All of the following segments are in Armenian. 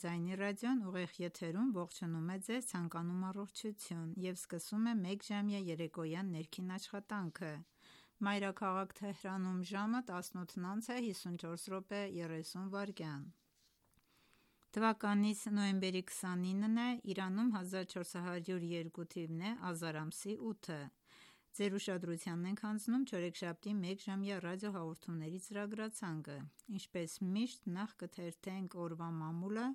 Ձայնի ռադիոն ուղիղ եթերում ողջունում է ձեզ, ցանկանում առողջություն և սկսում է մեկ ժամյա երեկոյան ներքին աշխատանքը: Մայրաքաղաք Թեհրանում ժամը 18:54:30 թվականից նոյեմբերի 29-ն է, Իրանում 1402 թիվն է, ազար ամսի 8-ը: Ձեր ուշադրությանն ենք հանձնում չորեքշաբթի մեկ ժամյա ռադիոհաղորդումների ծրագրացանկը: Ինչպես միշտ նախ կթերթենք օրվա մամուլը,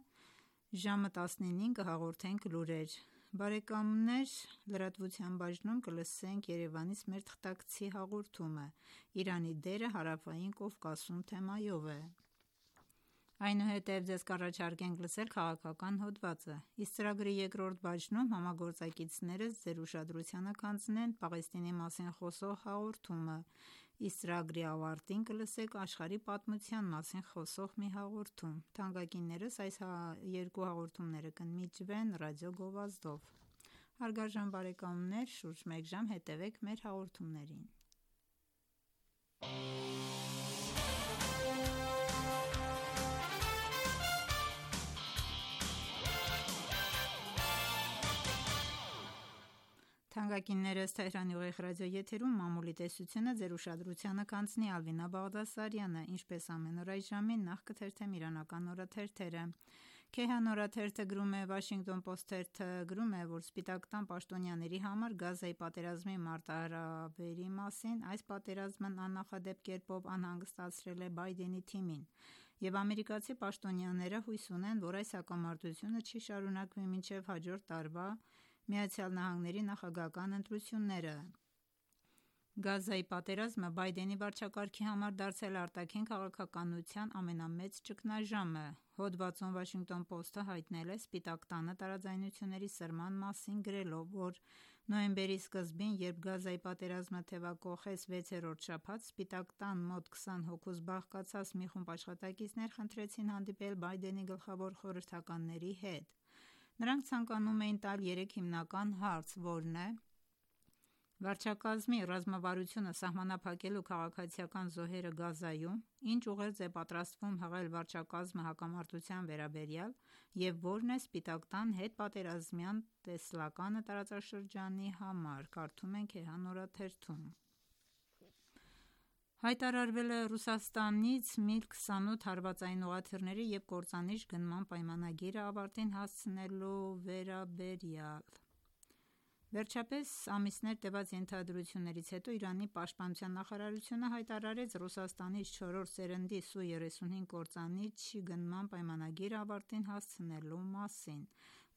ժամը 19-ին կհաղորդենք լուրեր: Լրատվության բաժնում կլսենք Երևանից մեր թղթակցի հաղորդումը, Իրանի դերը Հարավային Կովկասում թեմայով: Այնուհետև ձեզ կառաջարկենք լսել քաղաքական հոդվածը: Իսկ ծրագրի երկրորդ բաժնում համագործակիցներս ձեր ուշադրությանը կհանձնեն Պաղեստինի մասին խոսող հաղորդումը, իսկ ծրագրի ավարտին կլսեք աշխարհի պատմության մասին խոսող մի հաղորդում: Թանկագիններս այս երկու հաղորդումները կընդմիջվեն ռադիո գովազդով: Հարգարժան բարեկամներ շուրջ մեկ ժամ հետևեք մեր հաղորդումներին: Մամուլի տեսությունը ձեր ուշադրությանը կհանձնի Ալվինա Բաղդասարյանը: Ինչպես ամեն օր այս ժամին նախ կթերթեմ իրանական օրաթերթերը: Քեհան օրաթերթը գրում է. Washington Post թերթը գրում է, որ Սպիտակ տան պաշտոնյաների համար Գազայի պատերազմի մարտահրավերի մասին այս պատերազմն աննախադեպ կերպով անհանգստացրել է Բայդենի թիմին և ամերիկացի պաշտոնյաները հույս ունեն, որ այս հակամարտությունը չի շարունակվի մինչև հաջորդ տարվա ԱՄՆ նախագահական ընտրությունները: Գազայի պատերազմը Բայդենի վարչակարգի համար դարձել է արտաքին քաղաքականության ամենամեծ ճգնաժամը: Հոդվածում Washington Post-ը հայտնել է Սպիտակ տանը տարաձայնությունների սրման մասին գրելով, որ նոյեմբերի սկզբին, երբ Գազայի պատերազմը թեւակոխեց 6-րդ շաբաթ, Սպիտակ տան մոտ 20 հոգուց բաղկացած մի խումբ աշխատակիցներ խնդրեցին հանդիպել Բայդենի գլխավոր խորհրդականների հետ: Նրանք ցանկանում էին տալ երեք հիմնական հարց, որն է վարչակազմի ռազմավարությունը սահմանափակելու քաղաքացիական զոհերը Գազայում, ինչ ուղերձ է պատրաստվում հղել վարչակազմը հակամարտության վերաբերյալ և որն է Սպիտակ տան հետպատերազմյան տեսլականը տարածաշրջանի համար: Կարդում ենք Քեհան օրաթերթում: Հայտարարվել է Ռուսաստանից MiG-28 հարվածային ուղղաթիռների և կործանիչ գնման պայմանագիրը ավարտին հասցնելու վերաբերյալ: Վերջապես ամիսներ տևած ենթադրություններից հետո Իրանի պաշտպանության նախարարությունը հայտարարեց Ռուսաստանից չորրորդ սերնդի Su-35 կործանիչի գնման պայմանագիրը ավարտին հասցնելու մասին: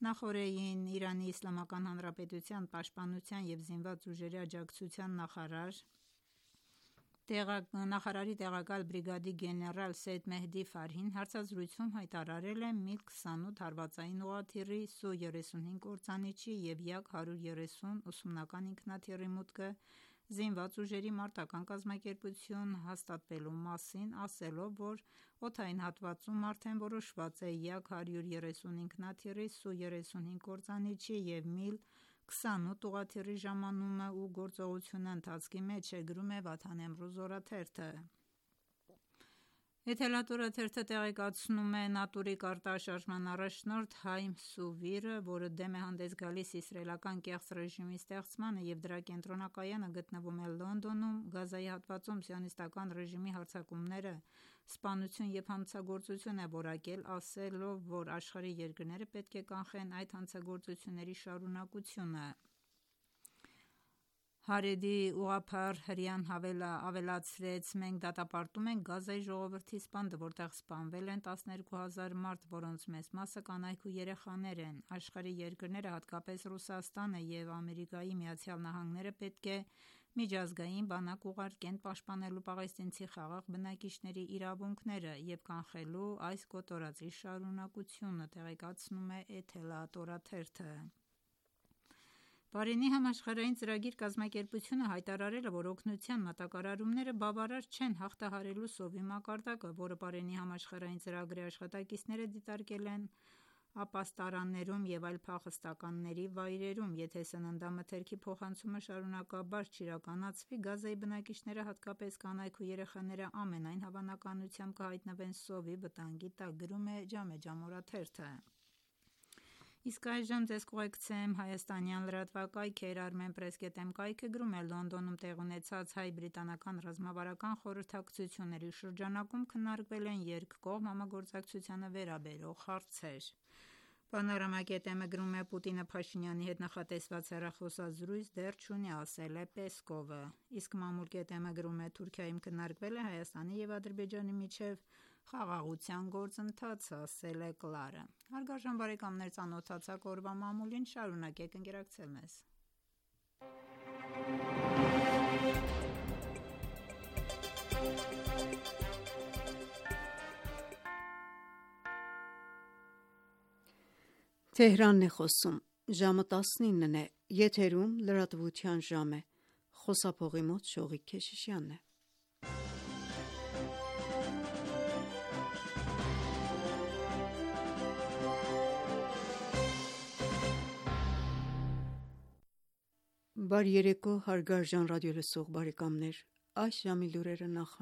Նախօրեին ԻԻՀ պաշտպանության և զինված ուժերի աջակցության նախարարի տեղակալ բրիգադի գեներալ Սեյեդ Մեհդի Ֆարհին հարցազրույցում հայտարարել է MiG-28 հարվածային ուղղաթիռի, Su-35 կործանիչի և Yak-130 ուսումնական ինքնաթիռի մուտքը զինված ուժերի մարտական կազմակերպություն հաստատվելու մասին, ասելով, որ օդային հատվածում արդեն որոշված է Yak-130 ինքնաթիռի, Su-35 կործանիչի և MiG-28 ուղղաթիռի ժամանումը ու գործողությունը ընթացքի մեջ է, գրում է Վաթան Էմրոզ օրաթերթը: Էթելատ օրաթերթը տեղեկացնում է ՆԱՏՕ-ի կարտաշարժման առաջնորդ Հայմ Սուվիրը, որը դեմ է հանդես գալիս իսրայելական կեղծ ռեժիմի ստեղծմանը և դրա կենտրոնակայանը գտնվում է Լոնդոնում, Գազայի հատվածում սիոնիստական ռեժիմի հարձակումները սպանություն և հանցագործություն է որակել, ասելով, որ աշխարհի երկրները պետք է կանխեն այդ հանցագործությունների շարունակությունը: Հարեդի ուղղափառ հրեան ավելացրեց. «Մենք դատապարտում ենք Գազայի ժողովրդի սպանդը, որտեղ սպանվել են 12 հազար մարդ, որոնց մեծ մասը կանայք ու երեխաներ են: Աշխարհի երկրները, հատկապես Ռուսաստանը և ԱՄՆ-ը պետք է միջազգային բանակ ուղարկեն պաշտպանելու պաղեստինցի խաղաղ բնակիչների իրավունքները և կանխելու այս կոտորածի շարունակությունը», տեղեկացնում է Էթելատ օրաթերթը: Պարենի համաշխարհային ծրագիր կազմակերպությունը հայտարարել է, որ օգնության մատակարարումները բավարար չեն հաղթահարելու սովի մակարդակը, որը Պարենի համաշխարհային ծրագրի աշխատակիցները դիտարկել են ապաստարաններում և այլ փախստականների վայրերում: Եթե սննդամթերքի փոխանցումը շարունակաբար չիրականացվի, Գազայի բնակիչները, հատկապես կանայք ու երեխաները, ամենայն հավանականությամբ կհայտնվեն սովի վտանգի տակ: Գրում է «Ջամե-Ջամ» օրաթերթը: Իսկ այժմ ձեզ կուղեկցեմ հայաստանյան լրատվակայքեր: Armenpress.am կայքը գրում է. Լոնդոնում տեղի ունեցած հայ-բրիտանական ռազմավարական խորհրդակցությունների շրջանակում քննարկվել են երկկողմ համագործակցությանը վերաբերող հարցեր: Panorama.am-ը գրում է. Պուտինը Փաշինյանի հետ նախատեսված հեռախոսազրույց դեռ չունի, ասել է Պեսկովը: Իսկ Mamul.am-ը գրում է. Թուրքիայում քննարկվել է Հայաստանի և Ադրբեջանի միջև խաղաղության գործընթացը, ասել է Կլարը: Հարգարժան բարեկամներ, ծանոթացաք օրվա մամուլին: Շարունակեք ընկերակցել մեզ: Բարի երեկո հարգարժան ռադիոլսող բարեկամներ: Այս ժամի լուրերը նախ՝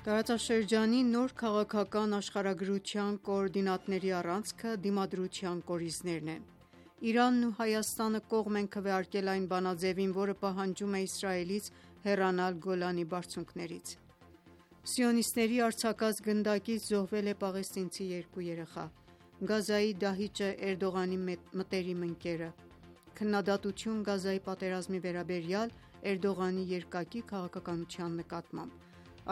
Տարածաշրջանի նոր քաղաքական աշխարհագրության կոորդինատների առանցքը Դիմադրության կորիզներն են: Իրանն ու Հայաստանը կողմ են քվեարկել այն բանաձևին, որը պահանջում է Իսրայելից հեռանալ Գոլանի բարձունքներից: Սիոնիստների արձակած գնդակից զոհվել է պաղեստինցի 2 երեխա: Գազայի դահիճը Էրդողանի մտերիմ ընկերը: Քննադատություն Գազայի պատերազմի վերաբերյալ Էրդողանի երկակի քաղաքականության նկատմամբ: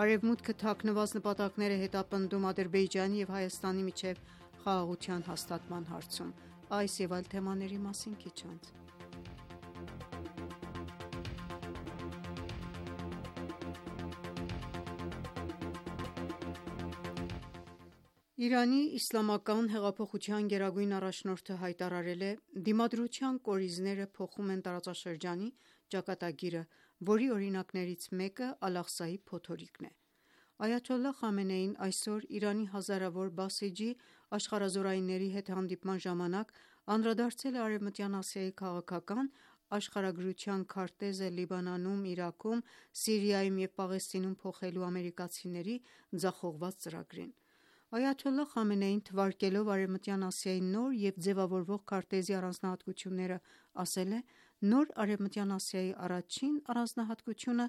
Արևմուտքը թաքնված նպատակներ է հետապնդում Ադրբեջանի և Հայաստանի միջև խաղաղության հաստատման հարցում: Այս և այլ թեմաների մասին քիչ անց: Իրանի իսլամական հեղափոխության գերագույն առաջնորդը հայտարարել է. «Դիմադրության կորիզները փոխում են տարածաշրջանի ճակատագիրը, որի օրինակներից մեկը Ալ-Աղսայի փոթորիկն է»: Այաթոլլահ Խամենեին այսօր Իրանի հազարավոր բասիջի աշխարհազորայինների հետ հանդիպման ժամանակ անդրադարձել է Արևմտյան Ասիայի քաղաքական աշխարհագրության քարտեզը Լիբանանում, Իրաքում, Սիրիայում և Պաղեստինում փոխելու ամերիկացիների ձախողված ծրագրին: Այաթոլլահ Խամենեին, թվարկելով Արևմտյան Ասիայի նոր և ձևավորվող քարտեզի առանձնահատկությունները, ասել է. «Նոր Արևմտյան Ասիայի առաջին առանձնահատկությունը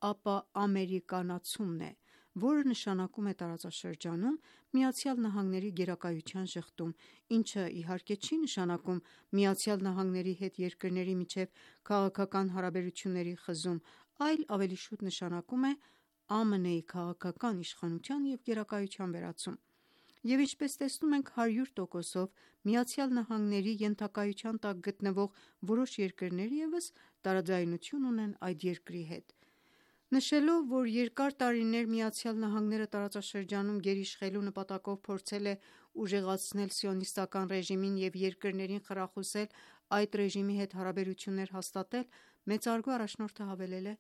ապաամերիկանացումն է, որը նշանակում է տարածաշրջանում ԱՄՆ-ի գերակայության ժխտում, ինչը իհարկե չի նշանակում ԱՄՆ-ի հետ երկրների միջև քաղաքական հարաբերությունների խզում, այլ ավելի շուտ նշանակում է ԱՄՆ-ի քաղաքական իշխանության և գերակայության վերացում: Եվ ինչպես տեսնում ենք, 100%-ով ԱՄՆ-ի ենթակայության տակ գտնվող որոշ երկրներ ևս տարաձայնություն ունեն այդ երկրի հետ»: Նշելով, որ երկար տարիներ ԱՄՆ-ը տարածաշրջանում գերիշխելու նպատակով փորձել է ուժեղացնել Սիոնիստական ռեժիմին և երկրներին խրախուսել այդ ռեժիմի հետ հարաբերություններ հաստատել, մեծարգո առաջնորդը հավելել է.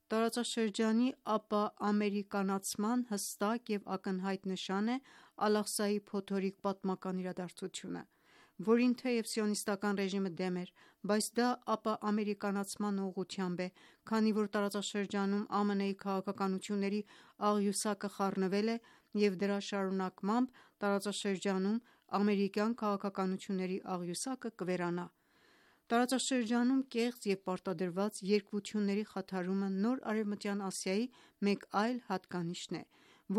«Տարածաշրջանի ապաամերիկանացման հստակ և ակնհայտ նշան է Ալ-Աղսայի փոթորիկ պատմական իրադարձությունը, որին թեև Սիոնիստական ռեժիմը դեմ էր, բայց դա ապաամերիկանացման ուղղությամբ է, քանի որ տարածաշրջանում ԱՄՆ-ի քաղաքականությունների աղյուսակը խառնվել է և դրա շարունակմամբ տարածաշրջանում ամերիկյան քաղաքականությունների աղյուսակը կվերանա: Տարածաշրջանում կեղծ և պարտադրված երկվությունների խաթարումը նոր Արևմտյան Ասիայի մեկ այլ հատկանիշն է,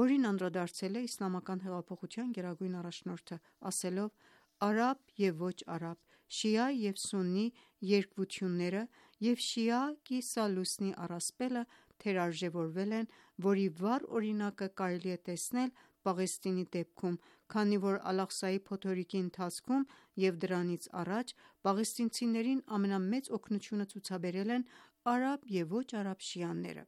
որին անդրադարձել է Իսլամական հեղափոխության գերագույն առաջնորդը, ասելով. «Արաբ և ոչ արաբ, շիա և սուննի երկվությունները և շիա կիսա լուսնի առասպելը թերարժևորվել են, որի վառ օրինակը կարելի է տեսնել Պաղեստինի դեպքում, քանի որ Ալ-Աղսայի փոթորիկի ընթացքում և դրանից առաջ պաղեստինցիներին ամենամեծ օգնությունը ցուցաբերել են արաբ և ոչ արաբ շիաները»: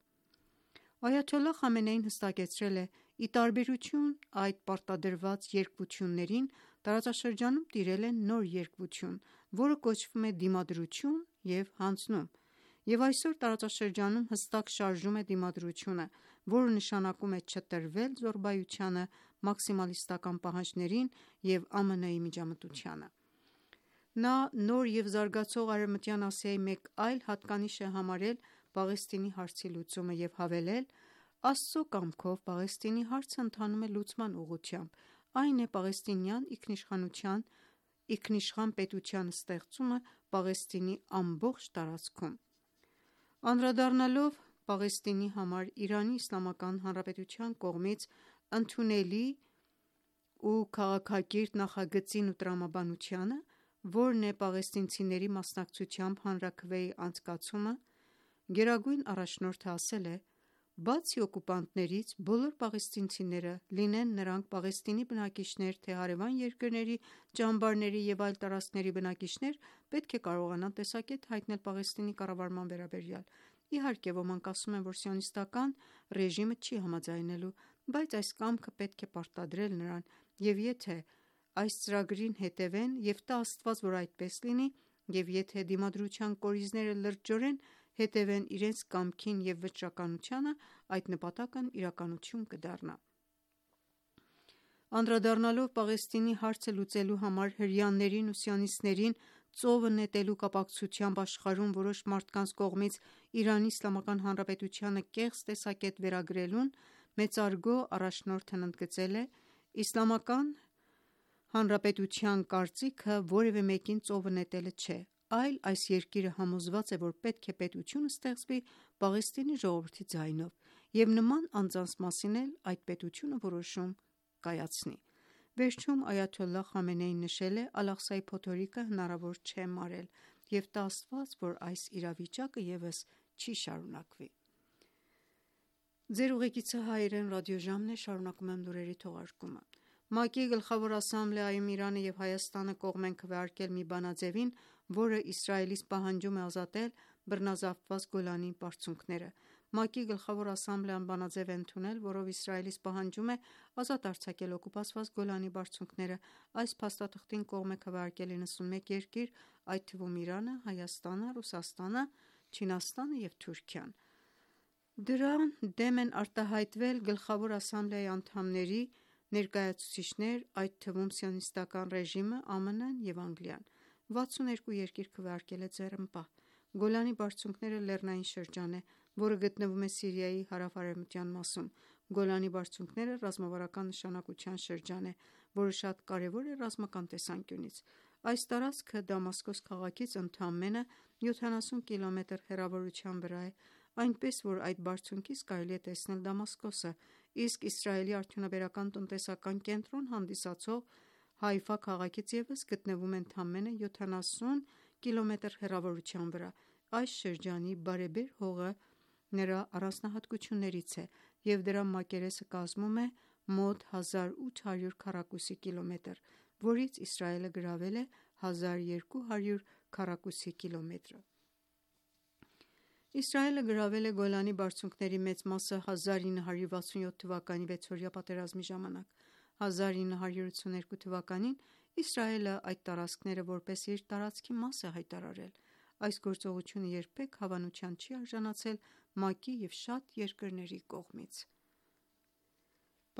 Այաթոլլահ Խամենեին հստակեցրել է. «Ի տարբերություն այդ պարտադրված երկվություններին, տարածաշրջանում տիրել է նոր երկվություն, որը կոչվում է Դիմադրություն և հանձնում: Եվ այսօր տարածաշրջանում հստակ շարժում է դիմադրությունը, որը նշանակում է չտրվել զոռբայությանը, մաքսիմալիստական պահանջներին և ԱՄՆ-ի միջամտությանը։ Նա նոր և զարգացող Արևմտյան Ասիայի մեկ այլ հատկանիշ է համարել Պաղեստինի հարցի լուծումը և հավելել. «Աստծո կամքով Պաղեստինի հարցը ընթանում է լուծման ուղղությամբ, այն է պաղեստինյան ինքնիշխան պետության ստեղծումը Պաղեստինի ամբողջ տարածքում»։ Անդրադառնալով Պաղեստինի համար ԻԻՀ կողմից ընդունելի ու քաղաքակիրթ նախագծին ու տրամաբանությանը, որն է պաղեստինցիների մասնակցությամբ հանրաքվեի անցկացումը, գերագույն առաջնորդը ասել է. «Բացի օկուպանտներից, բոլոր պաղեստինցիները, լինեն նրանք Պաղեստինի բնակիչներ, թե հարևան երկրների, ճամբարների և այլ տարածքների բնակիչներ, պետք է կարողանան տեսակետ հայտնել Պաղեստինի կառավարման վերաբերյալ։ Իհարկե, ոմանք ասում են, որ Սիոնիստական ռեժիմը չի համաձայնելու, բայց այս կամքը պետք է պարտադրել նրան, և եթե այս ծրագրին հետևեն, և տա Աստված, որ այդպես լինի, և եթե դիմադրության կորիզները լրջորեն հետևեն իրենց կամքին և վճռականությանը, այդ նպատակն իրականություն կդառնա»։ Անդրադառնալով Պաղեստինի հարցը լուծելու համար հրեաներին ու սիոնիստներին ծովը նետելու կապակցությամբ աշխարհում որոշ մարդկանց կողմից ԻԻՀ-ն կեղծ տեսակետ վերագրելուն, մեծարգո առաջնորդն ընդգծել է. «Իսլամական Հանրապետության կարծիքը որևէ մեկին ծովը նետելը չէ, այլ այս երկիրը համոզված է, որ պետք է պետություն ստեղծվի Պաղեստինի ժողովրդի ձայնով, և նման անձանց մասին էլ այդ պետությունը որոշում կայացնի»։ Վերջում այաթոլլահ Խամենեին նշել է. «Ալ-Աղսայի փոթորիկը հնարավոր չէ մարել, և տա Աստված, որ այս իրավիճակը ևս չի շարունակվի»։ ՄԱԿ-ի Գլխավոր ասամբլեայում Իրանը և Հայաստանը կողմ են քվեարկել մի բանաձևին, որը Իսրայելից պահանջում է ազատել բռնազավթված Գոլանի բարձունքները։ ՄԱԿ-ի Գլխավոր ասամբլեան բանաձև է ընդունել, որով Իսրայելից պահանջում է ազատ արձակել օկուպացված Գոլանի բարձունքները։ Այս փաստաթղթին կողմ է քվեարկել 91 երկիր, այդ թվում Իրանը, Հայաստանը, Ռուսաստանը, Չինաստանը և Թուրքիան։ Դրան դեմ են արտահայտվել Գլխավոր ասամբլեայի անդամների ներկայացուցիչներ, այդ թվում Սիոնիստական ռեժիմը, ԱՄՆ-ն և Անգլիան։ 62 երկիր քվեարկել է ձեռնպահ։ Գոլանի բարձունքները լեռնային շրջան է, որը գտնվում է Սիրիայի հարավ-արևմտյան մասում։ Գոլանի բարձունքները ռազմավարական նշանակության շրջան է, որը շատ կարևոր է ռազմական տեսանկյունից։ Այս տարածքը Դամասկոս քաղաքից ընդամենը 70 կմ հեռավորության վրա է, այնպես որ այդ բարձունքից կարելի է տեսնել Դամասկոսը, իսկ Իսրայելի արդյունաբերական տնտեսական կենտրոն հանդիսացող Հայֆա քաղաքից ևս գտնվում է ընդամենը 70 կմ հեռավորության վրա։ Այս շրջանի բարեբեր հողը նրա առանձնահատկություններից է, և դրա մակերեսը կազմում է մոտ 1800 քառակուսի կիլոմետր, որից Իսրայելը գրավել է 1200 քառակուսի կիլոմետրը։ Իսրայելը գրավել է Գոլանի բարձունքների մեծ մասը 1967 թվականի վեցօրյա պատերազմի ժամանակ։ 1982 թվականին Իսրայելը այդ տարածքները որպես իր տարածքի մաս է հայտարարել։ Այս գործողությունը երբեք հավանության չի արժանացել ՄԱԿ-ի և շատ երկրների կողմից։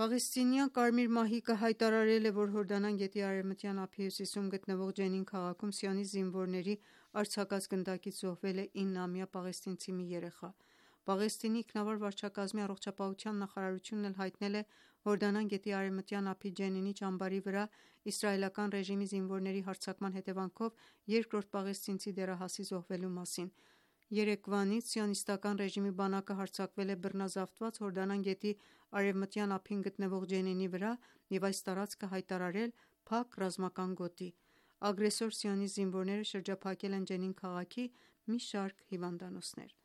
Պաղեստինյան Կարմիր մահիկը հայտարարել է, որ Հորդանան գետի Արևմտյան ափի հյուսիսում գտնվող Ջենին քաղաքում սիոնիստ զինվորների արձակած գնդակից զոհվել է 9-ամյա պաղեստինցի մի երեխա։ Պաղեստինի ինքնավար վարչակազմի առողջապահության նախարարությունն էլ հայտնել է Հորդանան գետի Արևմտյան ափի Ջենինի ճամբարի վրա իսրայելական ռեժիմի զինվորների հարձակման հետևանքով երկրորդ պաղեստինցի դեռահասի զոհվելու մասին։ Երեկվանից Սիոնիստական ռեժիմի բանակը հարձակվել է բռնազավթված Հորդանան գետի արևմտյան ափին գտնվող Ջենինի վրա և այս տարածքը հայտարարել փակ ռազմական գոտի։ Ագրեսոր սիոնիստ զինվորները շրջափակել են Ջենին քաղաքի մի շարք հիվանդանոցներ։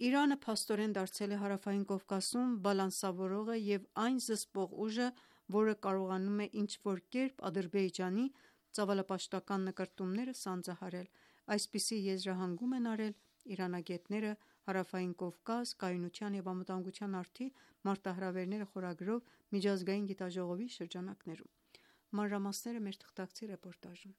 Իրանը փաստորեն դարձել է Հարավային Կովկասում բալանսավորողը և այն զսպող ուժը, որը կարողանում է ինչ-որ կերպ Ադրբեջանի ծավալապաշտական նկրտումները սանձահարել։ Այսպիսի եզրահանգում են արել իրանագետները «Հարավային Կովկաս. կայունության և անվտանգության արդի մարտահրավերները» խորագրով միջազգային գիտաժողովի շրջանակներում։ Մանրամասները մեր թղթակցի ռեպորտաժում։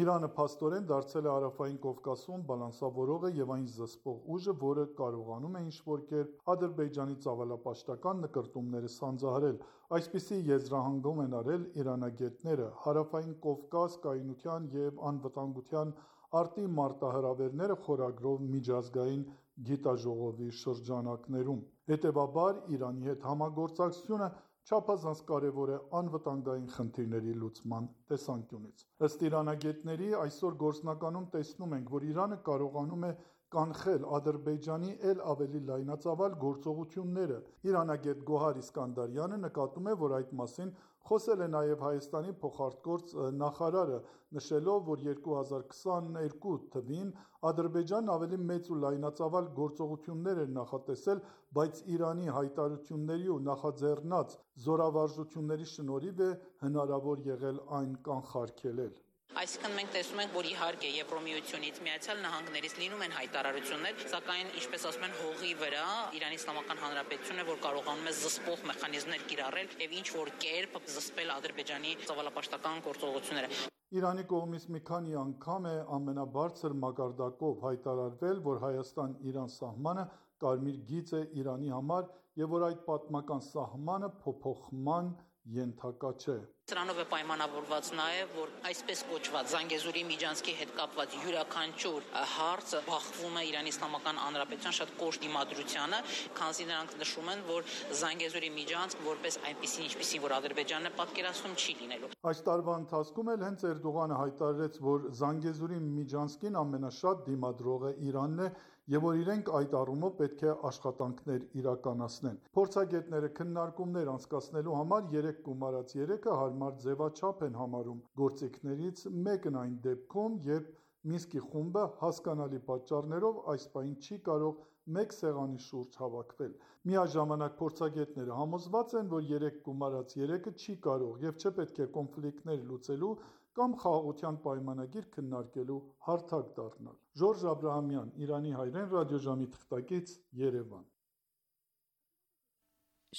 Իրանը փաստորեն դարձել է Հարավային Կովկասում բալանսավորողը եւ այն զսպող ուժը, որը կարողանում է ինչ-որ կերպ Ադրբեջանի ծավալապաշտական նկրտումները սանձահարել։ Այսպիսի եզրահանգում են արել իրանագետները։ Հարավային Կովկաս կայունության եւ անվտանգության արտի մարտահրավերները խորագրով միջազգային գիտաժողովի շրջանակներում։ Հետևաբար Իրանի հետ համագործակցությունը չափազանց կարևոր է անվտանգային խնդիրների լուծման տեսանկյունից։ Ըստ իրանագետների, այսօր գործնականում տեսնում ենք, որ Իրանը կարողանում է կանխել Ադրբեջանի էլ ավելի լայնածավալ գործողությունները։ Իրանագետ Գոհար Իսկանդարյանը նկատում է, որ այդ մասին խոսել է նաև Հայաստանի փոխարտգործ նախարարը, նշելով, որ 2022 թվին Ադրբեջանն ավելի մեծ ու լայնածավալ գործողություններ էր նախատեսել, բայց Իրանի հայտարարությունների ու նախաձեռնած զորավարժությունների շնորհիվ է հնարավոր եղել այն կանխարգելել։ Այսինքն մենք տեսնում ենք, որ իհարկե Եվրոմիությունից, Միացյալ Նահանգներից լինում են հայտարարություններ, սակայն ինչպես ասում են, հողի վրա Իրանի Իսլամական Հանրապետությունը, որ կարողանում է զսպող մեխանիզմներ կիրառել եւ ինչ որ կերպ զսպել Ադրբեջանի ծավալապաշտական գործողությունները։ Իրանի կողմից մի քանի անգամ է ամենաբարձր մակարդակով հայտարարվել, որ Հայաստան-Իրան սահմանը կարմիր գիծ է Իրանի համար եւ որ այդ պատմական սահմանը փոփոխման ենթակա չէ։ Սրանով է պայմանավորված նաև, որ այսպես կոչված Զանգեզուրի միջանցքի հետ կապված յուրաքանչյուր հարցը բախվում է Իրանի Իսլամական Հանրապետության շատ կոշտ դիմադրությանը, քանզի նրանք նշում են, որ Զանգեզուրի միջանցք որպես այնպեսին, ինչպեսին որ Ադրբեջանն է պատկերացնում, չի լինելու։ Այս տարվա ընթացքում էլ հենց Էրդողանը հայտարարեց, որ Զանգեզուրի միջանցքին ամենաշատ դիմադրողը Իրանն է եւ որ իրենք այդ առումով պետք է աշխատանքներ իրականացնեն։ Փորձագետները քննարկումներ անցկացնելու համար 3 գումարած 3-ը հարմար ձևաչափ են համարում։ Գործիքներից մեկն այն դեպքում, երբ Մինսկի խումբը հասկանալի պատճառներով այս պահին չի կարող մեկ սեղանի շուրջ հավաքվել։ Միաժամանակ փորձագետները համոզված են, որ 3 գումարած 3-ը չի կարող եւ չպետք է կոնֆլիկտներ լուծելու կամ խաղաղության պայմանագիր քննարկելու հարթակ դառնալ։ Ժորժ Աբրահամյան, Իրանի հայրեն, ռադիոժամի թղթակից, Երևան։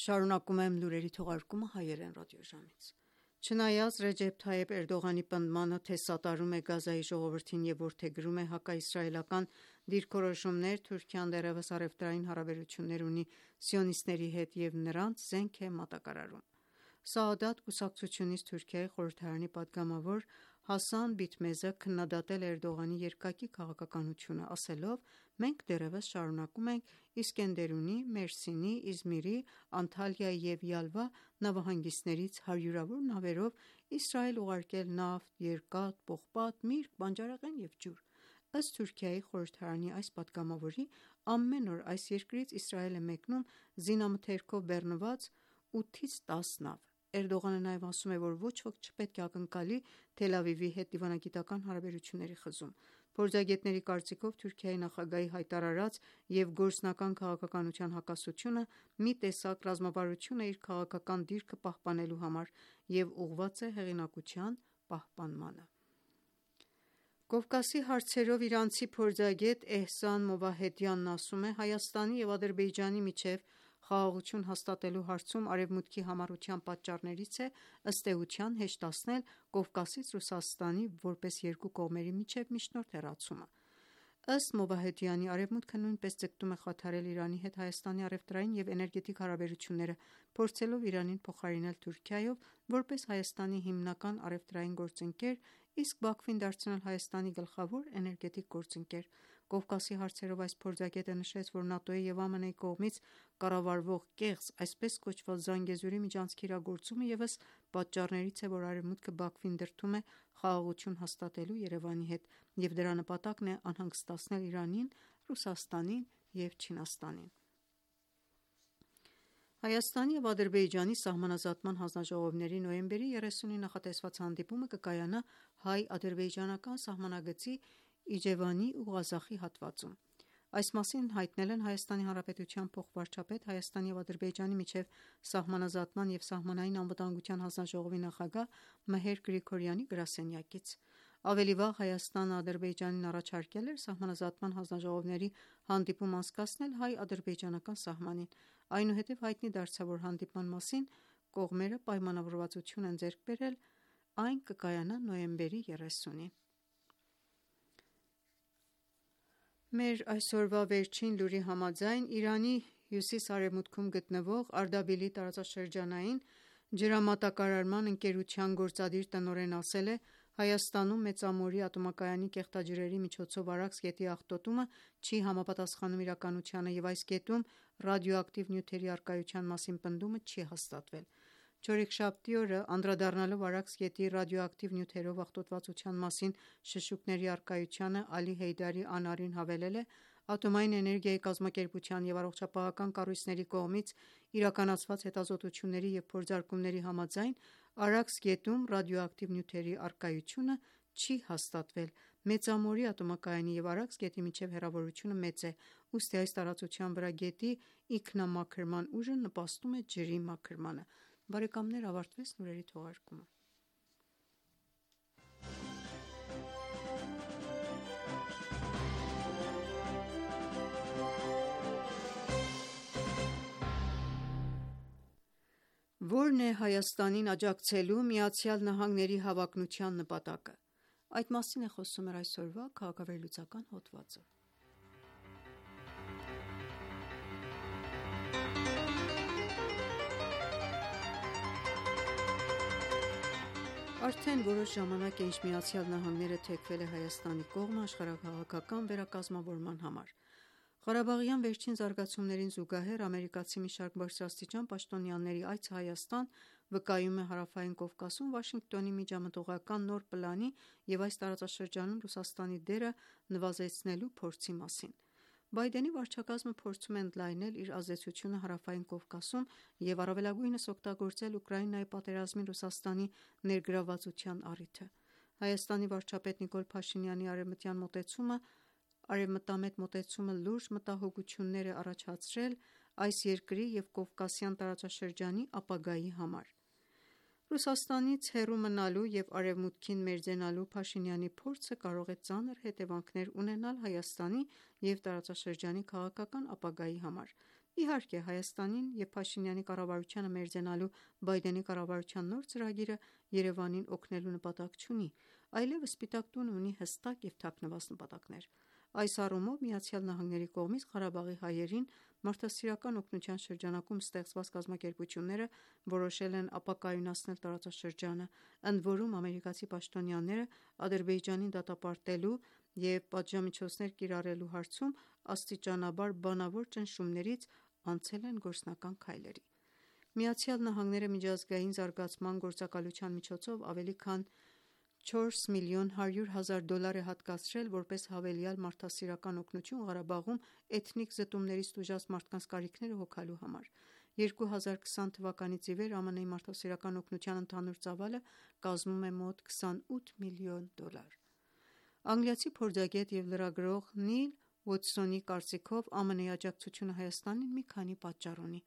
Շարունակում եմ լուրերի թողարկումը հայերեն ռադիոժամից։ Չնայած Ռեջեփ Թայեփ Էրդողանի պնդմանը, թե սատարում է Գազայի ժողովրդին եւ որդեգրում է հակաիսրայելական դիրքորոշումներ, Թուրքիան դեռևս առևտրային հարաբերություններ ունի սիոնիստների հետ եւ նրանց զենք է մատակարարում։ Սաադաթ կուսակցությունից Թուրքիայի խորհրդարանի պատգամավոր Հասան Բիտմեզը քննադատել է Էրդողանի երկակի քաղաքականությունը, ասելով. «Մենք դեռևս շարունակում ենք Իսկենդերունի, Մերսինի, Իզմիրի, Անտալիայի եւ Յալվա նավահանգիստներից հարյուրավոր նավերով Իսրայել ուղարկել նավթ, երկաթ, պողպատ, միրգ, բանջարեղեն եւ ջուր»։ Ըստ Թուրքիայի խորհրդարանի այս պատգամավորի, ամեն օր այս երկրից Իսրայել է մեկնում զինամթերքով բեռնված 8-ից 10 նավ։ Էրդողանը նաև ասում է, որ ոչ ոք չպետք է ակնկալի Թել Ավիվի հետ դիվանագիտական հարաբերությունների խզում։ Փորձագետների կարծիքով Թուրքիայի նախագահի հայտարարած եւ գործնական քաղաքականության հակասությունը մի տեսակ ռազմավարություն է իր քաղաքական դիրքը պահպանելու համար եւ ուղղված է հեղինակության պահպանմանը։ Կովկասի հարցերով իրանցի փորձագետ Էհսան Մովահեդյանն ասում է. Հայաստանի եւ Ադրբեջանի միջեւ խաղաղություն հաստատելու հարցում Արևմուտքի համառության պատճառներից է ըստ էության հեշտացնել Կովկասից Ռուսաստանի որպես երկու կողմերի միջև միջնորդ հեռացումը։ Ըստ Մովահեդյանի, Արևմուտքը նույնպես ձգտում է խաթարել Իրանի հետ Հայաստանի առևտրային եւ էներգետիկ հարաբերությունները, փորձելով Իրանին փոխարինել Թուրքիայով որպես Հայաստանի հիմնական առևտրային գործընկեր, իսկ Բաքվին դարձնել Հայաստանի գլխավոր էներգետիկ գործընկեր։ Կովկասի հարցերով այս փորձագետը նշեց, որ ՆԱՏՕ-ի եւ ԱՄՆ-ի կողմից կառավարվող կեղծ, այսպես կոչված Զանգեզուրի միջանցքի իրագործումը ևս պատճառներից է, որ Արևմուտքը Բաքվին դրդում է խաղաղություն հաստատելու Երևանի հետ, եւ դրա նպատակն է անհանգստացնել Իրանին, Ռուսաստանին եւ Չինաստանին։ Հայաստանի եւ Ադրբեջանի սահմանազատման հանձնաժողովների նոյեմբերի 30-ին նախատեսված հանդիպումը կկայանա հայ-ադրբեջանական սահմանագծի Իջևանի ու Ղազախի հատվածում։ Այս մասին հայտնել են Հայաստանի Հանրապետության փոխվարչապետ, Հայաստանի եւ Ադրբեջանի միջև սահմանազատման եւ սահմանային անվտանգության հանձնաժողովի նախագահ Մեհեր Գրիգորյանի գրասենյակից։ Ավելի վաղ Հայաստանը Ադրբեջանին առաջարկել էր սահմանազատման հանձնաժողովների հանդիպում անցկացնել հայ-ադրբեջանական սահմանին։ Այնուհետև հայտնի դարձավ, որ հանդիպման մասին կողմերը պայմանավորվածություն են ձեռք բերել, այն կկայանա նոյեմբերի 30-ին։ Մեր այսօրվա վերջին լուրի համաձայն Իրանի հյուսիս-արևմուտքում գտնվող Արդաբիլի տարածաշրջանային ջրամատակարարման ընկերության գործադիր տնօրենն ասել է. Հայաստանում Մեծամորի ատոմակայանի կեղտաջրերի միջոցով Արաքս գետի աղտոտումը չի համապատասխանում իրականությանը և այս գետում ռադիոակտիվ նյութերի առկայության մասին պնդումը չի հաստատվել։ Չորեքշաբթի օրը անդրադառնալով Արաքս գետի ռադիոակտիվ նյութերով աղտոտվածության մասին շշուկների առկայությանը Ալի Հեյդարի անարին հավելել է. Ատոմային էներգիայի կազմակերպության և առողջապահական կառույցների կողմից իրականացված հետազոտությունների և փորձարկումների համաձայն Արաքս գետում ռադիոակտիվ նյութերի առկայությունը չի հաստատվել։ Մեծամորի ատոմակայանի և Արաքս գետի միջև հեռավորությունը մեծ է, ուստի այս տարածության վրա գետի ինքնամաքրման ուժը նպաստում է ջրի մաքրմանը։ Բարեկամներ, ավարտվեց լուրերի թողարկումը։ Ո՞րն է Հայաստանին աջակցելու ԱՄՆ-ի հավակնության նպատակը։ Այդ մասին է խոսում մեր այսօրվա քաղաքավերլուծական հոդվածը։ Արդեն որոշ ժամանակ է, ինչ ԱՄՆ-ը թեքվել է Հայաստանի կողմը աշխարհաքաղաքական վերակազմավորման համար։ Ղարաբաղյան վերջին զարգացումներին զուգահեռ ամերիկացի մի շարք բարձրաստիճան պաշտոնյաների այցը Հայաստան վկայում է Հարավային Կովկասում Վաշինգտոնի միջամտողական նոր պլանի և այս տարածաշրջանում Ռուսաստանի դերը նվազեցնելու փորձի մասին։ Բայդենի վարչակազմը փորձում է ընդլայնել իր ազդեցությունը Հարավային Կովկասում և առավելագույնս օգտագործել Ուկրաինայի պատերազմին Ռուսաստանի ներգրավվածության առիթը։ Հայաստանի վարչապետ Նիկոլ Փաշինյանի արևմտամետ մոտեցումը լուրջ մտահոգություններ է առաջացրել այս երկրի և Կովկասյան տարածաշրջանի ապագայի համար։ Ռուսաստանից հեռու մնալու և Արևմուտքին մերձենալու Փաշինյանի փորձը կարող է ծանր հետևանքներ ունենալ Հայաստանի և տարածաշրջանի քաղաքական ապագայի համար։ Իհարկե, Հայաստանին և Փաշինյանի կառավարությանը մերձենալու Բայդենի կառավարության նոր ծրագիրը Երևանին օգնելու նպատակ չունի, այլևս Սպիտակ տունը ունի հստակ և թաքնված նպատակներ։ Այս առումով ԱՄՆ-ի կողմից Ղարաբաղի հայերին մարդասիրական օգնության շրջանակում ստեղծված կազմակերպությունները որոշել են ապակայունացնել տարածաշրջանը, ընդ որում ամերիկացի պաշտոնյաները Ադրբեջանին դատապարտելու և պատժամիջոցներ կիրառելու հարցում աստիճանաբար բանավոր ճնշումներից անցել են գործնական քայլերի։ ԱՄՆ-ը միջազգային զարգացման գործակալության միջոցով ավելի քան $4,1 միլիոն է հատկացրել որպես հավելյալ մարդասիրական օգնություն Ղարաբաղում էթնիկ զտումներից տուժած մարդկանց կարիքները հոգալու համար։ 2020 թվականից ի վեր ԱՄՆ-ի մարդասիրական օգնության ընդհանուր ծավալը կազմում է մոտ $28 միլիոն։ Անգլիացի փորձագետ և լրագրող Նիլ Ուոթսոնի կարծիքով ԱՄՆ-ի աջակցությունը Հայաստանին մի քանի պատճառ ունի։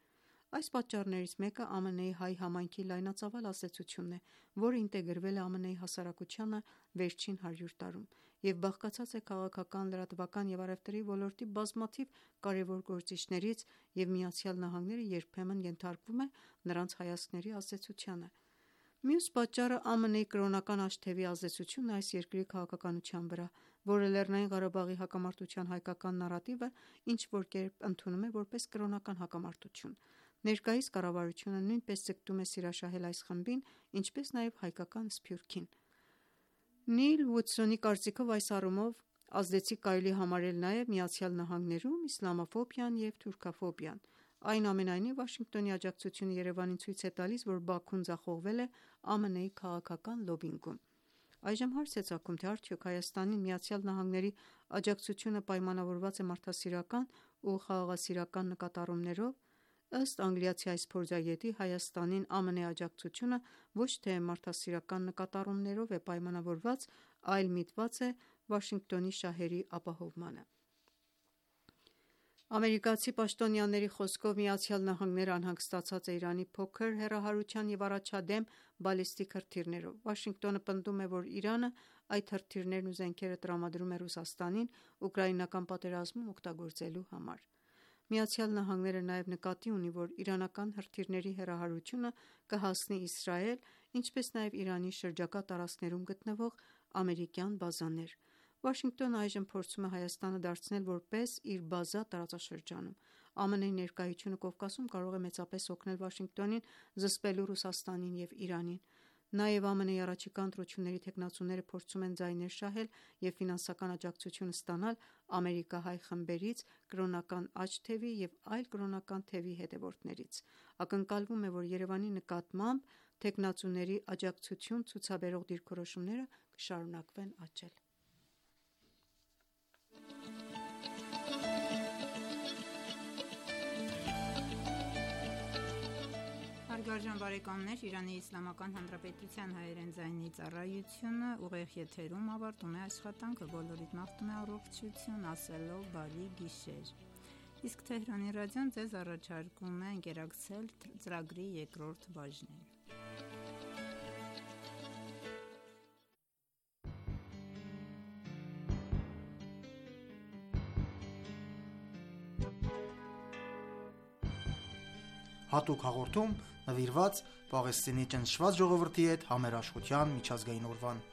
Այս պատճառներից մեկը ԱՄՆ-ի հայ համայնքի լայնածավալ ազդեցությունն է, որը ինտեգրվել է ԱՄՆ-ի հասարակությանը վերջին 100 տարում և բաղկացած է քաղաքական, լրատվական և առևտրի ոլորտի բազմաթիվ կարևոր գործիչներից, և ԱՄՆ-ն երբեմն ենթարկվում է նրանց հայացքների ազդեցությանը։ Մյուս պատճառը ԱՄՆ-ի կրոնական աշտևի ազդեցությունն է այս երկրի քաղաքականության վրա, որը Լեռնային Ղարաբաղի հակամարտության հայկական նարատիվը ինչ-որ կերպ ընդունում է որպես կրոնական հակամարտություն։ Ներկայիս կառավարությունը նույնպես ձգտում է սիրաշահել այս խմբին, ինչպես նաև հայկական սփյուռքին։ Նիլ Ուոթսոնի կարծիքով այս առումով ազդեցիկ կարելի է համարել նաև ԱՄՆ-ում իսլամաֆոբիան և թուրքաֆոբիան։ Այնուամենայնիվ, Վաշինգտոնի աջակցությունը Երևանին ցույց է տալիս, որ Բաքուն ձախողվել է ԱՄՆ-ի քաղաքական լոբբինգում։ Այժմ հարց է ծագում, թե արդյոք Հայաստանին ԱՄՆ-ի աջակցությունը պայմանավորված է մարդասիրական ու խաղաղասիրական նկատառումներով։ Ըստ անգլիացի այս փորձագետի, Հայաստանին ԱՄՆ-ի աջակցությունը ոչ թե մարդասիրական նկատառումներով է պայմանավորված, այլ միտված է Վաշինգտոնի շահերի ապահովմանը։ Ամերիկացի պաշտոնյաների խոսքով ԱՄՆ-ն անհանգստացած է Իրանի փոքր հեռահարության և առաջադեմ բալիստիկ հրթիռներով։ Վաշինգտոնը պնդում է, որ Իրանը այդ հրթիռներն ու զենքերը տրամադրում է Ռուսաստանին ուկրաինական պատերազմում օգտագործելու համար։ ԱՄՆ-ն նաև նկատի ունի, որ իրանական հրթիռների հեռահարությունը կհասնի Իսրայել, ինչպես նաև Իրանի շրջակա տարածքներում գտնվող ամերիկյան բազաներ։ Վաշինգտոնը այժմ փորձում է Հայաստանը դարձնել որպես իր բազա տարածաշրջանում։ ԱՄՆ-ի ներկայությունը Կովկասում կարող է մեծապես օգնել Վաշինգտոնին զսպելու Ռուսաստանին և Իրանին։ Նաև ԱՄՆ-ի առաջիկա ընտրությունների թեկնածուները փորձում են ձայներ շահել և ֆինանսական աջակցություն ստանալ ամերիկահայ խմբերից, կրոնական աջ թևի և այլ կրոնական թևի հետևորդներից։ Ակնկալվում է, որ Երևանի նկատմամբ թեկնածուների աջակցություն ցուցաբերող դիրքորոշումները կշարունակվեն աճել։ Հարգարժան բարեկամներ, Իրանի Իսլամական Հանրապետության հայերեն ձայնի ծառայությունը ուղիղ եթերում ավարտում է աշխատանքը, բոլորիդ մաղթում է առողջություն, ասելով բարի գիշեր։ Իսկ Թեհրանի ռադիոն ձեզ առաջարկում է ընկերակցել ծրագրի երկրորդ բաժնին։ Հատուկ հաղորդում նվիրված Պաղեստինի ճնշված ժողովրդի հետ համերաշխության միջազգային օրվան։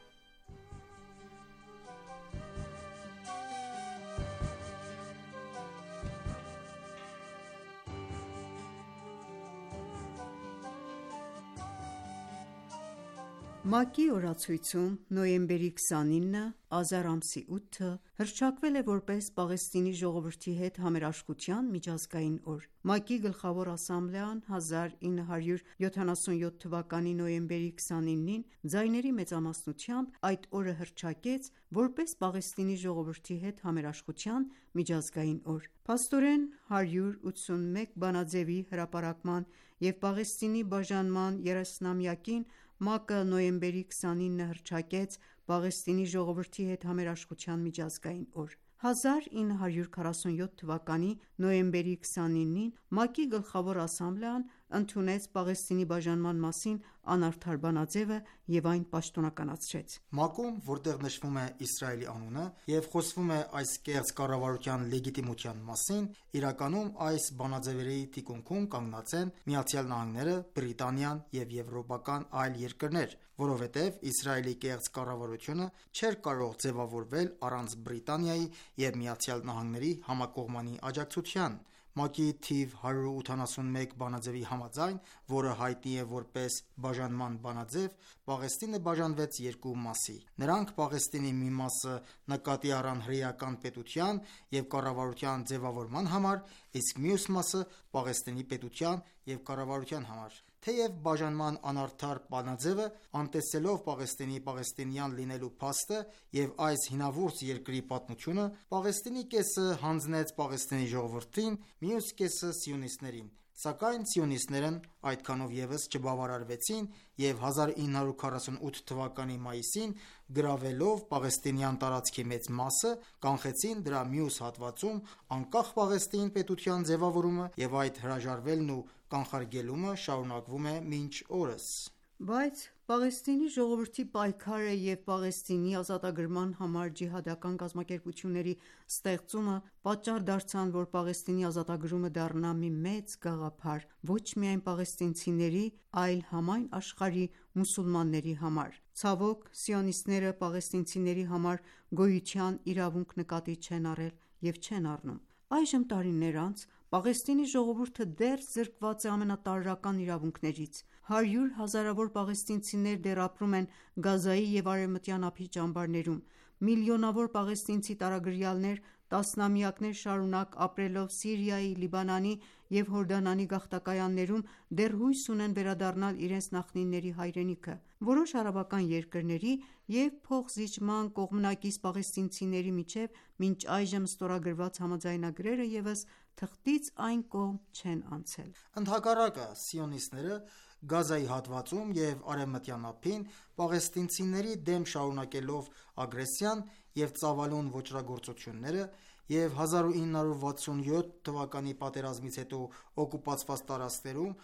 ՄԱԿ-ի օրացույցում նոյեմբերի 29-ը, Ազար ամսի 8-ը հռչակվել է որպես Պաղեստինի ժողովրդի հետ համերաշխության միջազգային օր։ ՄԱԿ-ի գլխավոր ասամբլեան 1977 թվականի նոյեմբերի 29-ին ձայների մեծամասնությամբ այդ օրը հռչակեց որպես Պաղեստինի ժողովրդի հետ համերաշխության միջազգային օր։ Փաստորեն 181 բանաձեւի հրապարակման և Պաղեստինի բաժանման 30-ամյակին ՄԱԿ-ը նոյեմբերի 29-ը հռչակեց Պաղեստինի ժողովրդի հետ համերաշխության միջազգային օր։ 1947 թվականի նոյեմբերի 29-ին ՄԱԿ-ի գլխավոր ասամբլեան ընդունեց Պաղեստինի բաժանման մասին անարդար բանաձևը և այն պաշտոնականացրեց։ ՄԱԿ-ում, որտեղ նշվում է Իսրայելի անունը և խոսվում է այս կեղծ կառավարության լեգիտիմության մասին, իրականում այս բանաձևերի թիկունքում կանգնած են ԱՄՆ-ը, Բրիտանիան և եվրոպական այլ երկրներ, որովհետև Իսրայելի կեղծ կառավարությունը չէր կարող ձևավորվել առանց Բրիտանիայի և ԱՄՆ-ի համակողմանի աջակցության։ ՄԱԿ-ի թիվ 181 բանաձևի համաձայն, որը հայտնի է որպես բաժանման բանաձև, Պաղեստինը բաժանվեց երկու մասի։ Նրանք Պաղեստինի մի մասը նկատի առան հրեական պետության և կառավարության ձևավորման համար, իսկ մյուս մասը Պաղեստինի պետության և կառավարության համար։ Թեև բաժանման անարդար բանաձևը, անտեսելով Պաղեստինի պաղեստինյան լինելու փաստը և այս հինավուրց երկրի պատմությունը, Պաղեստինի կեսը հանձնեց Պաղեստինի ժողովրդին, մյուս կեսը սիոնիստներին։ Սակայն սիոնիստներն այդքանով ևս չբավարարվեցին և 1948 թվականի մայիսին, գրավելով պաղեստինյան տարածքի մեծ մասը, կանխեցին դրա մյուս հատվածում անկախ Պաղեստին պետության ձևավորումը, և այդ հրաժարվելն ու կանխարգելումը շարունակվում է մինչ օրս։ Բայց Պաղեստինի ժողովրդի պայքարը և Պաղեստինի ազատագրման համար ջիհադական կազմակերպությունների ստեղծումը պատճառ դարձան, որ Պաղեստինի ազատագրումը դառնա մի մեծ գաղափար ոչ միայն պաղեստինցիների, այլ համայն աշխարհի մուսուլմանների համար։ Ցավոք, սիոնիստները պաղեստինցիների համար գոյության իրավունք նկատի չեն առել և չեն առնում։ Այժմ տարիներ անց Պաղեստինի ժողովուրդը դեռ զրկված է ամենատարրական իրավունքներից։ 100 հազարավոր պաղեստինցիներ դեռ ապրում են Գազայի և Արևմտյան ափի ճամբարներում։ Միլիոնավոր պաղեստինցի տարագրյալներ տասնամյակներ շարունակ ապրելով Սիրիայի, Լիբանանի և Հորդանանի գաղթակայաններում դեռ հույս ունեն վերադառնալ իրենց նախնիների հայրենիքը։ Որոշ արաբական երկրների և փոխզիջման կողմնակից պաղեստինցիների միջև մինչ այժմ ստորագրված համաձայնագրերը ևս թղթից այն կողմ չեն անցել։ Ընդհակառակը, սիոնիստները Գազայի հատվածում և Արևմտյան ափին պաղեստինցիների դեմ շարունակելով ագրեսիան և ծավալուն ոճրագործությունները և 1967 թվականի պատերազմից հետո օկուպացված տարածքներում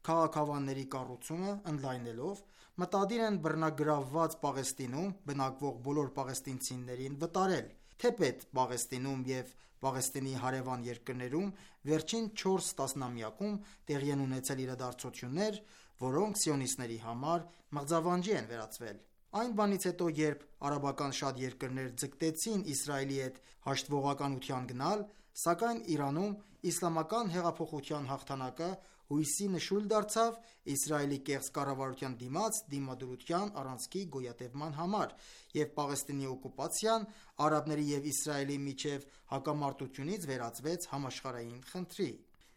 քաղաքավանների կառուցումը ընդլայնելով, մտադիր են բռնագրավված Պաղեստինում բնակվող բոլոր պաղեստինցիներին վտարել։ Թեպետ Պաղեստինում և Պաղեստինի հարևան երկրներում վերջին 4 տասնամյակում տեղի են ունեցել իրադարձություններ, որոնք սիոնիստների համար մղձավանջի են վերածվել։ Այն բանից հետո, երբ արաբական շատ երկրներ ձգտեցին Իսրայելի հետ հաշտվողականության գնալ, սակայն Իրանում իսլամական հեղափոխության հաղթանակը հույսի նշույլ դարձավ Իսրայելի կեղծ կառավարության դիմաց դիմադրության առանցքի գոյատևման համար, և Պաղեստինի օկուպացիան արաբների և Իսրայելի միջև հակամարտությունից վերածվեց համաշխարհային խնդրի։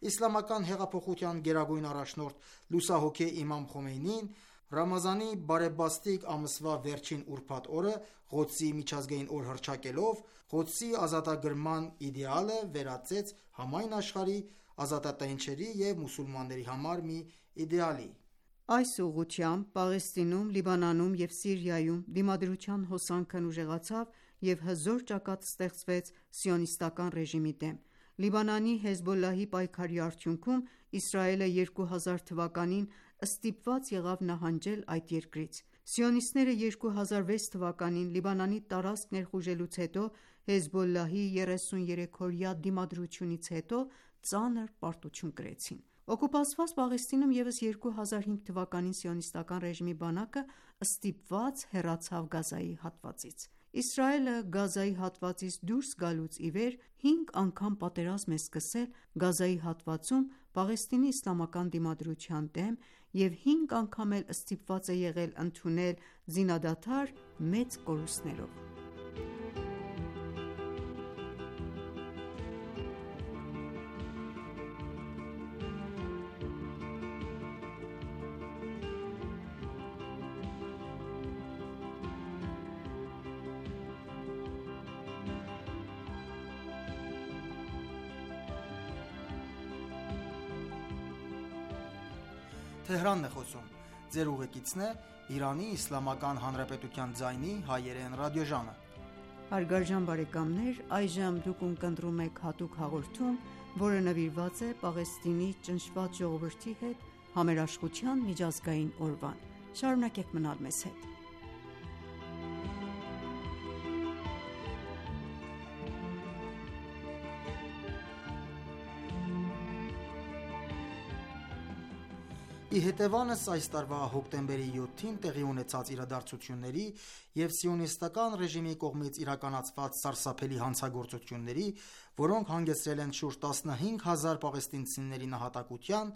Իսլամական հեղափոխության գերագույն առաջնորդ լուսահոգի Իմամ Խոմեյնին Ռամազանի բարեբաստիկ ամսվա վերջին ուրբաթ օրը Ղոդսի միջազգային օր հռչակելով, Ղոդսի ազատագրման իդեալը վերածեց համայն աշխարհի ազատատենչերի և մուսուլմանների համար մի իդեալի։ Այս ուղղությամբ Պաղեստինում, Լիբանանում և Սիրիայում դիմադրության հոսանքն ուժեղացավ և հզոր ճակատ ստեղծվեց սիոնիստական ռեժիմի դեմ։ Լիբանանի Հեզբոլլահի պայքարի արդյունքում Իսրայելը 2000 թվականին ստիպված եղավ նահանջել այդ երկրից։ Սիոնիստները 2006 թվականին Լիբանանի տարածք ներխուժելուց հետո Հեզբոլլահի 33-օրյա դիմադրությունից հետո ծանր պարտություն կրեցին։ Օկուպացված Պաղեստինում ևս 2005 թվականին սիոնիստական ռեժիմի բանակը ստիպված հեռացավ Գազայի հատվածից։ Իսրայելը Գազայի հատվածից դուրս գալուց ի վեր 5 անգամ պատերազմ է սկսել Գազայի հատվածում Պաղեստինի իսլամական դիմադրության դեմ և 5 անգամ էլ ստիպված է եղել ընդունել զինադադար մեծ կորուստներով։ Շարունակեք մնալ մեզ հետ։ Ի հետևանս այս տարվա հոկտեմբերի 7-ին տեղի ունեցած իրադարձությունների և սիոնիստական ռեժիմի կողմից իրականացված սարսափելի հանցագործությունների, որոնք հանգեցրել են շուրջ 15000 պաղեստինցիների նահատակության,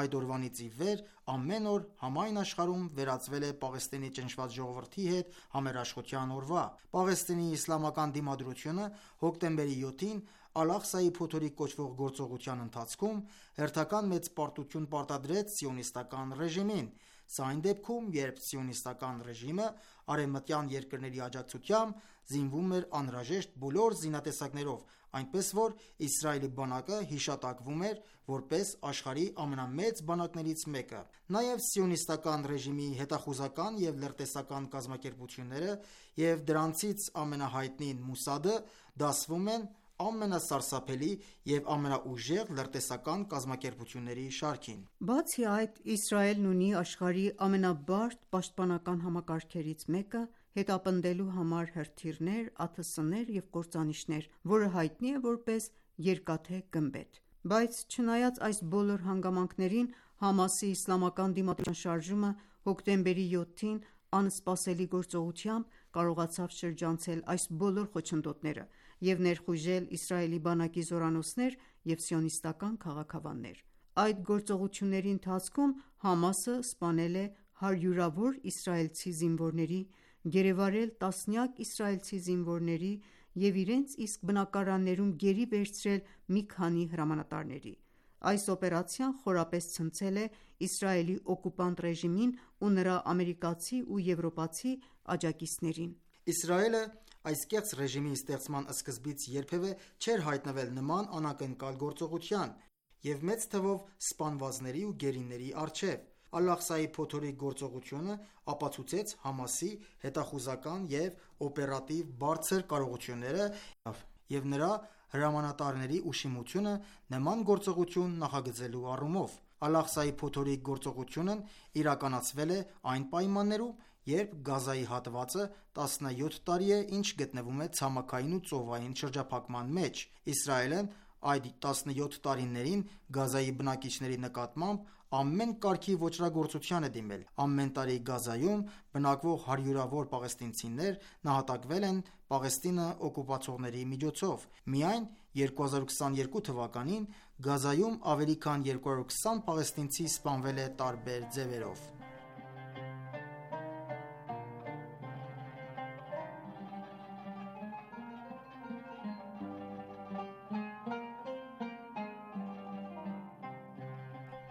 այդ օրվանից ի վեր ամեն օր համայն աշխարհում վերածվել է Պաղեստինի ճնշված ժողովրդի հետ համերաշխության օրվա։ Պաղեստինի իսլամական դիմադրությունը հոկտեմբերի 7-ին Ալ-Աղսայի փոթորիկ կոչվող գործողության ընթացքում հերթական մեծ պարտություն պարտադրեց սիոնիստական ռեժիմին։ Սա այն դեպքում, երբ սիոնիստական ռեժիմը արևմտյան երկրների աջակցությամբ զինվում էր անհրաժեշտ բոլոր զինատեսակներով, այնպես որ Իսրայելի բանակը հիշատակվում էր որպես աշխարհի ամենամեծ բանակներից մեկը։ Նաև սիոնիստական ռեժիմի հետախուզական և լրտեսական կազմակերպությունները և դրանցից ամենահայտնին Մոսադը դասվում են ամենասարսափելի և ամենաուժեղ լրտեսական կազմակերպությունների շարքին։ Բացի այդ, Իսրայելն ունի աշխարհի ամենաբարդ պաշտպանական համակարգերից մեկը՝ հետապնդելու համար հրթիռներ, ԱԹՍ-ներ և կործանիչներ, որը հայտնի է որպես երկաթե գմբեթ։ Բայց չնայած այս բոլոր հանգամանքներին, Համասի իսլամական դիմադրության շարժումը հոկտեմբերի 7-ին անսպասելի գործողությամբ կարողացավ շրջանցել այս բոլոր խոչընդոտները և ներխուժել Իսրայելի բանակի զորանոցներ և սիոնիստական քաղաքավաններ։ Այդ գործողությունների ընթացքում Համասը սպանել է հարյուրավոր իսրայելցի զինվորների, գերեվարել տասնյակ իսրայելցի զինվորների և իրենց իսկ բնակարաններում գերի վերցրել մի քանի հրամանատարների։ Այս օպերացիան խորապես ցնցել է Իսրայելի օկուպանտ ռեժիմին ու նրա ամերիկացի ու եվրոպացի աջակիցներին։ Իսրայելը այս կեղծ ռեժիմի ստեղծման սկզբից երբևէ չէր հայտնվել նման անակնկալ գործողության և մեծ թվով սպանվածների ու գերիների առջև։ Ալ-Աղսայի փոթորիկ գործողությունը ապացուցեց Համասի հետախուզական և օպերատիվ բարձր կարողությունները և նրա հրամանատարների ուշիմությունը նման գործողություն նախագծելու առումով։ Ալ-Աղսայի փոթորիկ գործողությունն իրականացվել է այն պայմաններում, երբ Գազայի հատվածը 17 տարի է ինչ գտնվում է ցամաքային ու ծովային շրջափակման մեջ։ Իսրայելն այդ 17 տարիներին Գազայի բնակիչների նկատմամբ ամեն կարգի ոճրագործության է դիմել։ Ամեն տարի Գազայում բնակվող հարյուրավոր պաղեստինցիներ նահատակվել են Պաղեստինը օկուպացողների միջոցով։ Միայն 2022 թվականին Գազայում ավելի քան 220 պաղեստինցի սպանվել է տարբեր ձևերով։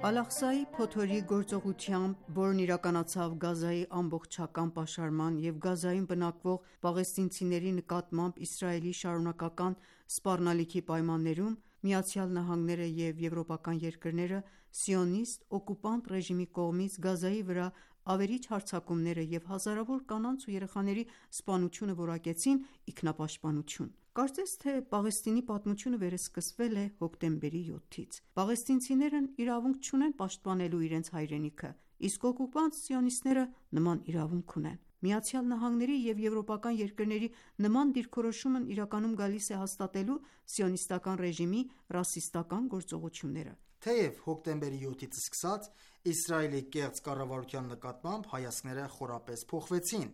Ալ-Աղսայի փոթորի գործողությամբ, որն իրականացավ Գազայի ամբողջական պաշարման և Գազայում բնակվող պաղեստինցիների նկատմամբ Իսրայելի շարունակական սպառնալիքի պայմաններում, ԱՄՆ-ը և եվրոպական երկրները սիոնիստ օկուպանտ ռեժիմի կողմից Գազայի վրա ավերիչ հարձակումները և հազարավոր կանանց ու երեխաների սպանությունը որակեցին ինքնապաշտպանություն։ Կարծես թե Պաղեստինի պատմությունը վերսկսվել է հոկտեմբերի 7-ից։ Պաղեստինցիներն իրավունք չունեն պաշտպանելու իրենց հայրենիքը, իսկ օկուպանտ սիոնիստները նման իրավունք ունեն։ ԱՄՆ-ի և եվրոպական երկրների նման դիրքորոշումն իրականում գալիս է հաստատելու սիոնիստական ռեժիմի ռասիստական գործողությունները։ Թեև հոկտեմբերի 7-ից սկսած Իսրայելի կեղծ կառավարության նկատմամբ հայացքները խորապես փոխվեցին։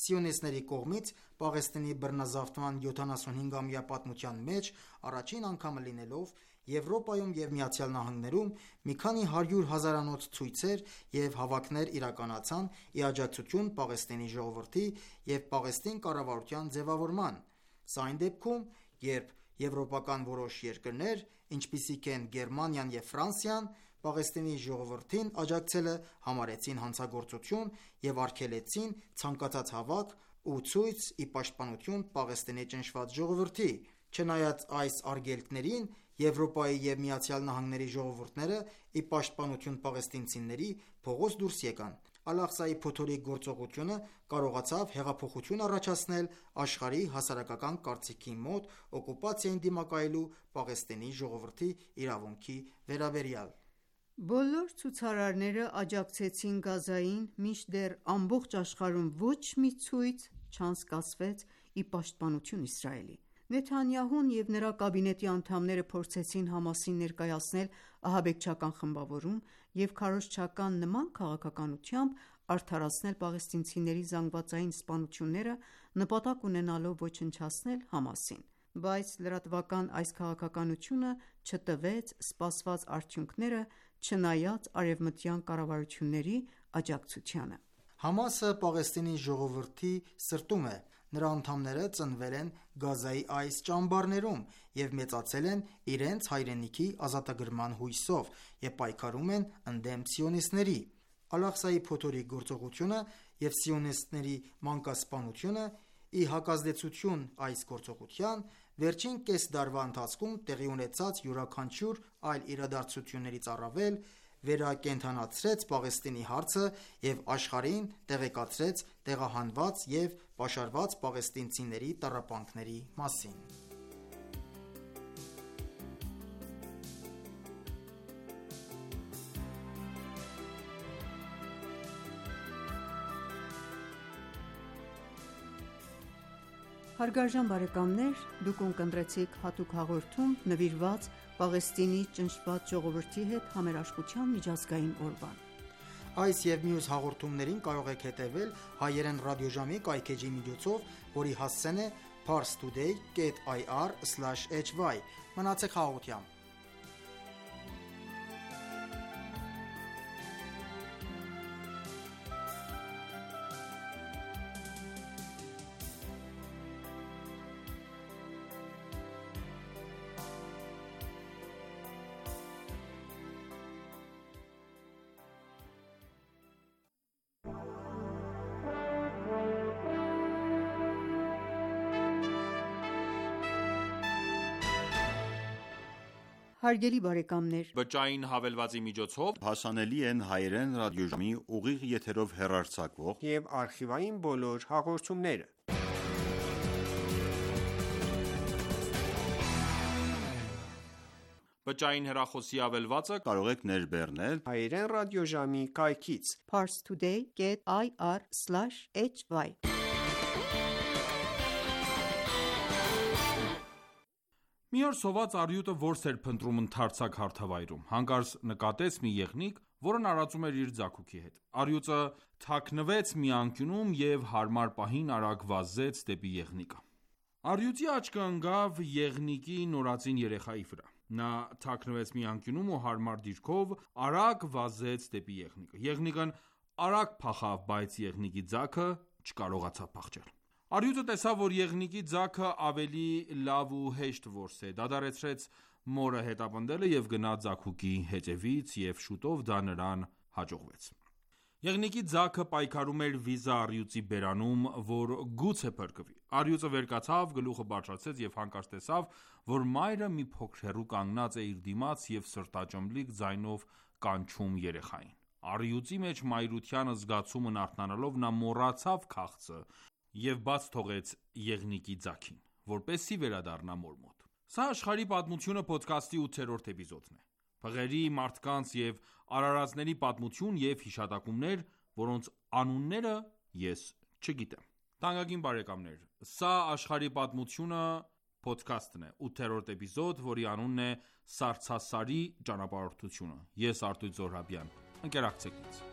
Սիոնիստների կողմից Պաղեստինի բռնազավթման 75-ամյա պատմության մեջ առաջին անգամը լինելով Եվրոպայում և ԱՄՆ-ում մի քանի 100 հազարանոց ցույցեր և հավաքներ իրականացան ի աջակցություն Պաղեստինի ժողովրդի և Պաղեստին կառավարության ձևավորման։ Սա այն դեպքում, երբ եվրոպական որոշ երկրներ, ինչպիսիք են Գերմանիան և Ֆրանսիան, Պաղեստինի ժողովրդին աջակցելը համարեցին հանցագործություն և արգելեցին ցանկացած հավաք ու ցույց ի պաշտպանություն Պաղեստինի ճնշված ժողովրդի։ Չնայած այս արգելքներին, Եվրոպայի և ԱՄՆ-ի ժողովուրդները ի պաշտպանություն պաղեստինցիների փողոց դուրս եկան։ Ալ-Աղսայի փոթորիկ գործողությունը կարողացավ հեղափոխություն առաջացնել աշխարհի հասարակական կարծիքի մոտ օկուպացիային դիմակայելու Պաղեստինի ժողովրդի իրավունքի վերաբերյալ։ Բոլոր ցուցարարները աջակցեցին Գազային, մինչդեռ ամբողջ աշխարհում ոչ մի ցույց չանցկացվեց ի պաշտպանություն Իսրայելի։ Նեթանյահուն և նրա կաբինետի անդամները փորձեցին ՀԱՄԱՍ-ին ներկայացնել ահաբեկչական խմբավորում և քարոզչական նման քաղաքականությամբ արդարացնել պաղեստինցիների զանգվածային սպանությունները՝ նպատակ ունենալով ոչնչացնել ՀԱՄԱՍ-ին։ Բայց լրատվական այս քաղաքականությունը չտվեց սպասված արդյունքները՝ չնայած արևմտյան կառավարությունների աջակցությանը։ ՀԱՄԱՍ-ը Պաղեստինի ժողովրդի սրտում է։ Նրա անդամները ծնվել են Գազայի այս ճամբարներում և մեծացել են իրենց հայրենիքի ազատագրման հույսով և պայքարում են ընդդեմ սիոնիստների։ Ալ-Աղսայի փոթորիկ գործողությունը և սիոնիստների մանկասպանությունը ի հակազդեցություն այս գործողության, վերջին կես դարվա ընթացքում տեղի ունեցած յուրաքանչյուր այլ իրադարձություններից առավել վերակենդանացրեց Պաղեստինի հարցը և աշխարհին տեղեկացրեց տեղահանված և պաշարված պաղեստինցիների տառապանքների մասին։ Հարգարժան բարեկամներ, դուք ունկնդրեցիք հատուկ հաղորդում նվիրված Պաղեստինի ճնշված ժողովրդի հետ համերաշխության միջազգային օրվան։ Այս և մյուս հաղորդումներին կարող եք հետևել հայերեն ռադիոժամի կայքէջի միջոցով, որի հասցեն է parstoday.ir/hy։ Մնացեք խաղաղությամբ։ Հարգելի բարեկամներ, բջջային հավելվածի միջոցով հասանելի են հայերեն ռադիոժամի ուղիղ եթերով հեռարձակվող և արխիվային բոլոր հաղորդումները։ Բջջային հեռախոսի ավելվածը կարող եք ներբեռնել հայերեն ռադիոժամի կայքից parstoday.ir/hy։ մի օր սոված առյուտը որս էր փնտրում ընդարձակ հարթավայրում, հանկարծ նկատեց մի եղնիկ, որն արածում էր իր ձագուկի հետ։ Առյուծը թաքնվեց մի անկյունում և հարմար պահին արագ վազեց դեպի եղնիկը։ Առյուծի աչքը ընկավ եղնիկի նորածին երեխայի վրա։ Նա թաքնվեց մի անկյունում ու հարմար դիրքով արագ վազեց դեպի եղնիկը։ Եղնիկն արագ փախավ, բայց եղնիկի ձագը չկարողացավ փախչել։ Առյուծը տեսավ, որ եղնիկի ձագը ավելի լավ ու հեշտ որս է, դադարեցրեց մորը հետապնդելը և գնաց ձագուկի հետևից, և շուտով դա նրան հաջողվեց։ Եղնիկի ձագը պայքարում էր վիզը առյուծի բերանում, որ գուցե փրկվի։ Առյուծը վեր կացավ, գլուխը բարձրացրեց և հանկարծ տեսավ, որ մայրը մի փոքր հեռու կանգնած է իր դիմաց և սրտաճմլիկ ձայնով կանչում երեխային։ Առյուծի մեջ մայրության զգացումն արթնանալով նա մոռացավ քաղցը և բաց թողեց եղնիկի ձագին, որպեսզի վերադառնա մոր մոտ։ Սա աշխարհի պատմությունը փոդքասթի 8-րդ էպիզոդն է։ Փղերի, մարդկանց և արարածների պատմություն և հիշատակումներ, որոնց անունները ես չգիտեմ։ Թանկագին բարեկամներ, սա աշխարհի պատմությունը փոդքասթն է, 8-րդ էպիզոդ, որի անունն է Սառցասարի ճանապարհորդությունը։ Ես Արտույտ Զոհրաբյան, ընկերակցեք ինձ։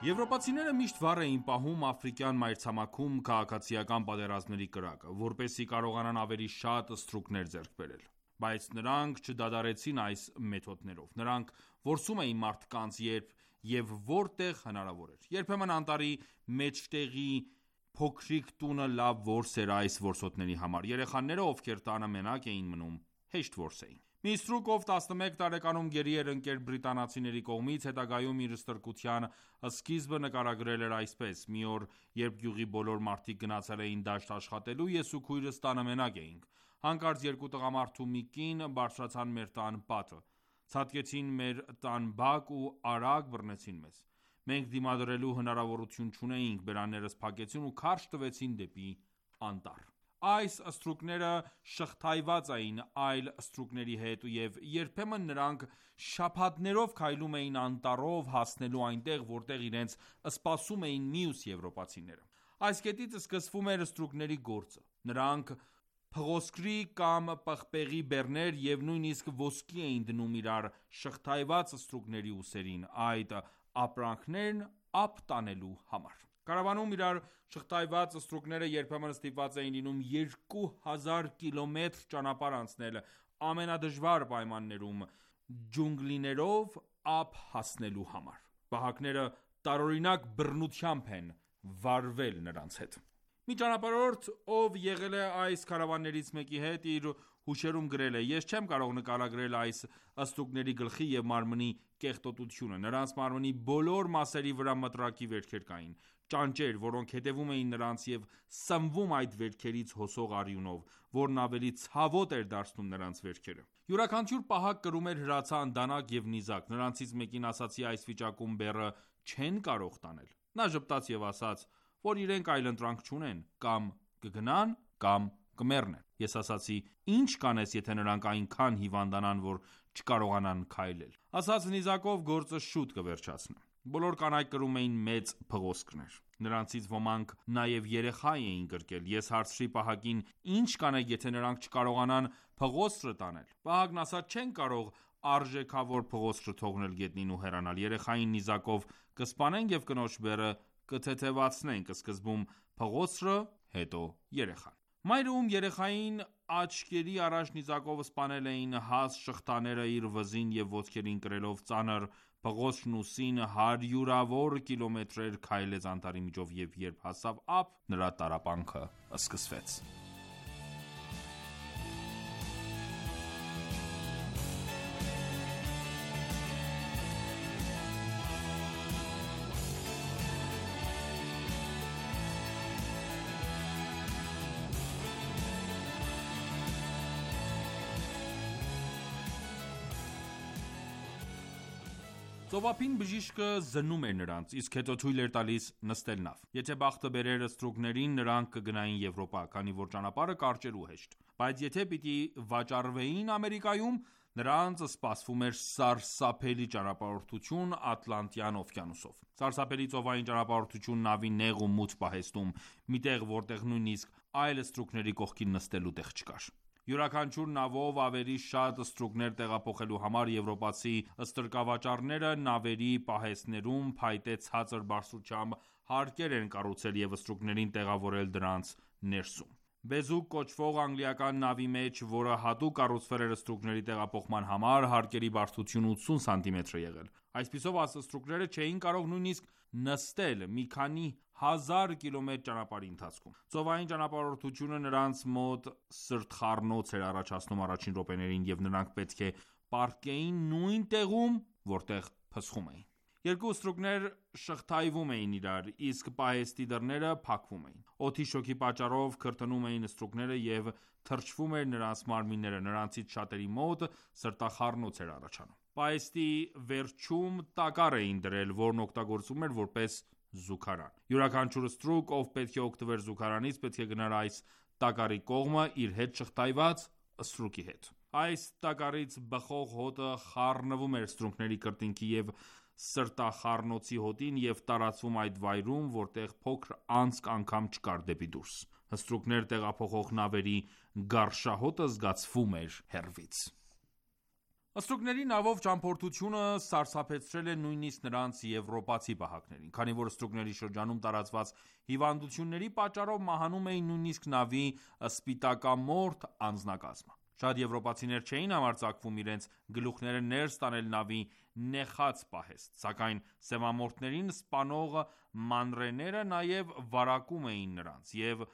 Եվրոպացիները միշտ վառ էին պահում աֆրիկյան մայրցամաքում քաղաքացիական պատերազմների կրակը, որպեսզի կարողանան ավելի շատ ստրուկներ ձեռք բերել։ Բայց նրանք չդադարեցին այս մեթոդներով։ Նրանք որսում էին մարդկանց, երբ և որտեղ հնարավոր էր։ Երբեմն անտառի մեջտեղի փոքրիկ տունը լավ որս էր այս որսորդների համար։ Երեխաները, ովքեր տանը մենակ էին մնում, հեշտ որս էին։ Մի ստրուկ, ով 11 տարեկանում գերի էր ընկել բրիտանացիների կողմից, հետագայում իր ստրկության սկիզբը նկարագրել էր այսպես. «Մի օր, երբ գյուղի բոլոր մարդիկ գնացել էին դաշտ աշխատելու, ես ու քույրս տանը մենակ էինք։ Հանկարծ երկու տղամարդ ու մի կին բարձրացան մեր տան պատը, ցատկեցին մեր տան բակ ու արագ բռնեցին մեզ։ Մենք դիմադրելու հնարավորություն չունեինք, բերաններս փակեցին ու քարշ տվեցին դեպի անտառ։ Այս ստրուկները շղթայված էին այլ ստրուկների հետ, և երբեմն նրանք շաբաթներով քայլում էին անտառով հասնելու այնտեղ, որտեղ իրենց սպասում էին մյուս եվրոպացիները։ Այս կետից սկսվում էր ստրուկների գործը։ Նրանք փղոսկրի կամ պղպեղի բեռներ և նույնիսկ ոսկի էին դնում իրար շղթայված ստրուկների ուսերին, այդ ապրանքներն ափ տանելու համար։ Կարավանում իրար շղթայված ստրուկները երբեմն ստիպված էին լինում 2000 կիլոմետր ճանապարհ անցնել ամենադժվար պայմաններում ջունգլիներով ափ հասնելու համար։ Պահակները տարօրինակ բռնությամբ են վարվել նրանց հետ։ Մի ճանապարհորդ, ով եղել է այս քարավաններից մեկի հետ, իր հուշերում գրել է. «Ես չեմ կարող նկարագրել այս ստրուկների գլխի և մարմնի կեղտոտությունը։ Նրանց մարմնի բոլոր մասերի վրա մտրակի վերքեր կային, ճանճեր, որոնք հետևում էին նրանց և սնվում այդ վերքերից հոսող արյունով, որն ավելի ցավոտ էր դարձնում նրանց վերքերը։ Յուրաքանչյուր պահակ կրում էր հրացան, դանակ և նիզակ։ Նրանցից մեկին ասացի այս վիճակում բեռը չեն կարող տանել։ Նա ժպտաց և ասաց, որ իրենք այլընտրանք չունեն, կամ կգնան, կամ կմեռնեն։ Ես ասացի. ինչ կանես, եթե նրանք այնքան հիվանդանան, որ չկարողանան քայլել։ Ասաց նիզակով գործը շուտ կվերջացնեմ։ Բոլոր կանայք կրում էին մեծ փղոսկրներ։ Նրանցից ոմանք նաև երեխա էին կրկել։ Ես հարցրի պահակին. ինչ կանեք, եթե նրանք չկարողանան փղոսկրը տանել։ Պահակն ասաց. չեն կարող արժեքավոր փղոսկրը թողնել գետնին ու հեռանալ։ Երեխային նիզակով կսպանենք և կնոջ բեռը կթեթևացնենք, սկզբում փղոսկրը, հետո երեխան։ Մայրը, ում երեխային աչքերի առաջ նիզակով սպանել էին, հաստ շղթաները իր վզին և ոտքերին կրելով ծանր փղոսկրն ուսին, հարյուրավոր կիլոմետրեր քայլեց անտառի միջով և երբ հասավ ափ, նրա տառապանքը սկսվեց։ Ծովափին բժիշկը զննում էր նրանց, իսկ հետո թույլ էր տալիս նստել նավ։ Եթե բախտը բերեր ստրուկներին, նրանք կգնային Եվրոպա, քանի որ ճանապարհը կարճ ու հեշտ։ Բայց եթե պիտի վաճառվեին Ամերիկայում, նրանց սպասվում էր սարսափելի ճանապարհորդություն Ատլանտյան օվկիանոսով։ Սարսափելի ծովային ճանապարհորդություն նավի նեղ ու մութ պահեստում, միտեղ որտեղ նույնիսկ այլ ստրուկների կողքին նստելու տեղ չկար։ Յուրաքանչյուր նավով ավելի շատ ստրուկներ տեղափոխելու համար եվրոպացի ստրկավաճառները նավերի պահեստներում փայտե ցածր բարձրությամբ հարկեր են կառուցել և ստրուկներին տեղավորել դրանց ներսում։ Բեզուկ կոչվող անգլիական նավի մեջ, որը հատուկ կառուցվել էր ստրուկների տեղափոխման համար, հարկերի բարձրությունը 80 սանտիմետր է եղել։ Այսպիսով ստրուկները չէին կարող նույնիսկ նստել մի քանի հազար կիլոմետր ճանապարհի ընթացքում։ Ծովային ճանապարհորդությունը նրանց մոտ սրտխառնոց էր առաջացնում առաջին րոպեներին, և նրանք պետք է պառկեին նույն տեղում, որտեղ փսխում էին։ Երկու ստրուկներ շղթայվում էին իրար, իսկ պահեստի դռները փակվում էին։ Օդի շոկի պատճառով քրտնում էին ստրուկները և թրջվում էր նրանց մարմինները, նրանցից շատերի մոտ սրտախառնոց էր առաջանում։ Պահեստի վերջում տակառ էին դրել, որն օգտագործվում էր որպես զուգարան։ Յուրաքանչյուր ստրուկ, ով պետք է օգտվեր զուգարանից, պետք է գնար այս տակառի կողմը իր հետ շղթայված ստրուկի հետ։ Այս տակառից բխող հոտը խառնվում էր ստրուկների կրծքին և սրտախառնոցի հոտին և տարածվում այդ վայրում, որտեղ փոքր անցք անգամ չկար դեպի դուրս։ Ստրուկներ տեղափոխող նավերի գարշահոտը զգացվում էր հեռվից։ Ստրուկների նավով ճամփորդությունը սարսափեցրել է նույնիսկ նրանց եվրոպացի պահակներին, քանի որ ստրուկների շրջանում տարածված հիվանդությունների պատճառով մահանում էին նույնիսկ նավի սպիտակամորթ անձնակազմը։ Շատ եվրոպացիներ չէին համարձակվում իրենց գլուխները ներս տանել նավի նեխած պահեստ, սակայն սևամորթներին սպանող մանրէները նաև վարակում էին նրանց, և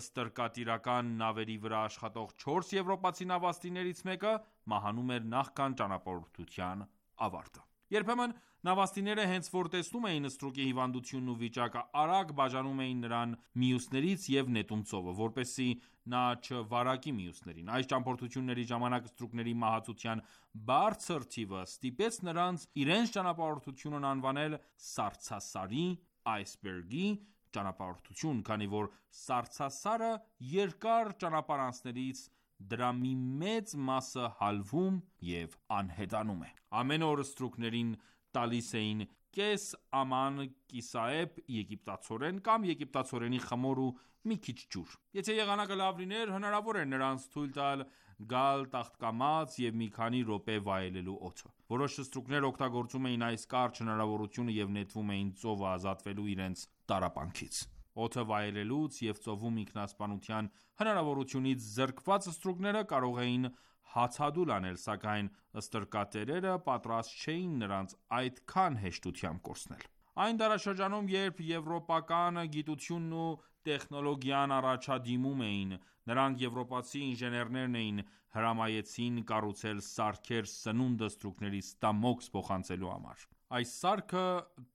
ստրկատիրական նավերի վրա աշխատող 4 եվրոպացի նավաստիներից մեկը մահանում էր նախքան ճանապարհորդության ավարտը։ Երբեմն նավաստիները հենց որ տեսնում էին ստրուկի հիվանդությունն ու վիճակը, արագ բաժանում էին նրան մյուսներից և նետում ծովը, որպեսզի նա չվարակի մյուսներին։ Այս ճամփորդությունների ժամանակ ստրուկների մահացության բարձր թիվը ստիպեց նրանց իրենց ճանապարհորդությունն անվանել սառցասարի (iceberg)-ի ճանապարհորդություն, քանի որ սառցասարը երկար ճանապարհանցելիս դրա մի մեծ մասը հալվում և անհետանում է։ Ամեն օր ստրուկներին տալիս էին կես աման կիսաեպ եգիպտացորեն կամ եգիպտացորենի խմոր ու մի քիչ ջուր։ Եթե եղանակը լավ լիներ, հնարավոր էր նրանց թույլ տալ գալ տաղտկամած և մի քանի րոպե վայելելու օդը։ Որոշ ստրուկներ օգտագործում էին այս կարճ հնարավորությունը և նետվում էին ծովը ազատվելու իրենց տառապանքից։ Օդը վայելելուց և ծովում ինքնասպանության հնարավորությունից զրկված ստրուկները կարող էին հացադուլ անել, սակայն ստրկատերերը պատրաստ չէին նրանց այդքան հեշտությամբ կորցնել։ Այն դարաշրջանում, երբ եվրոպական գիտությունն ու տեխնոլոգիան առաջադիմում էին, նրանք եվրոպացի ինժեներներն էին հրամայեցին կառուցել սարքեր սնունդը ստրուկների ստամոքս փոխանցելու համար։ Այս սարքը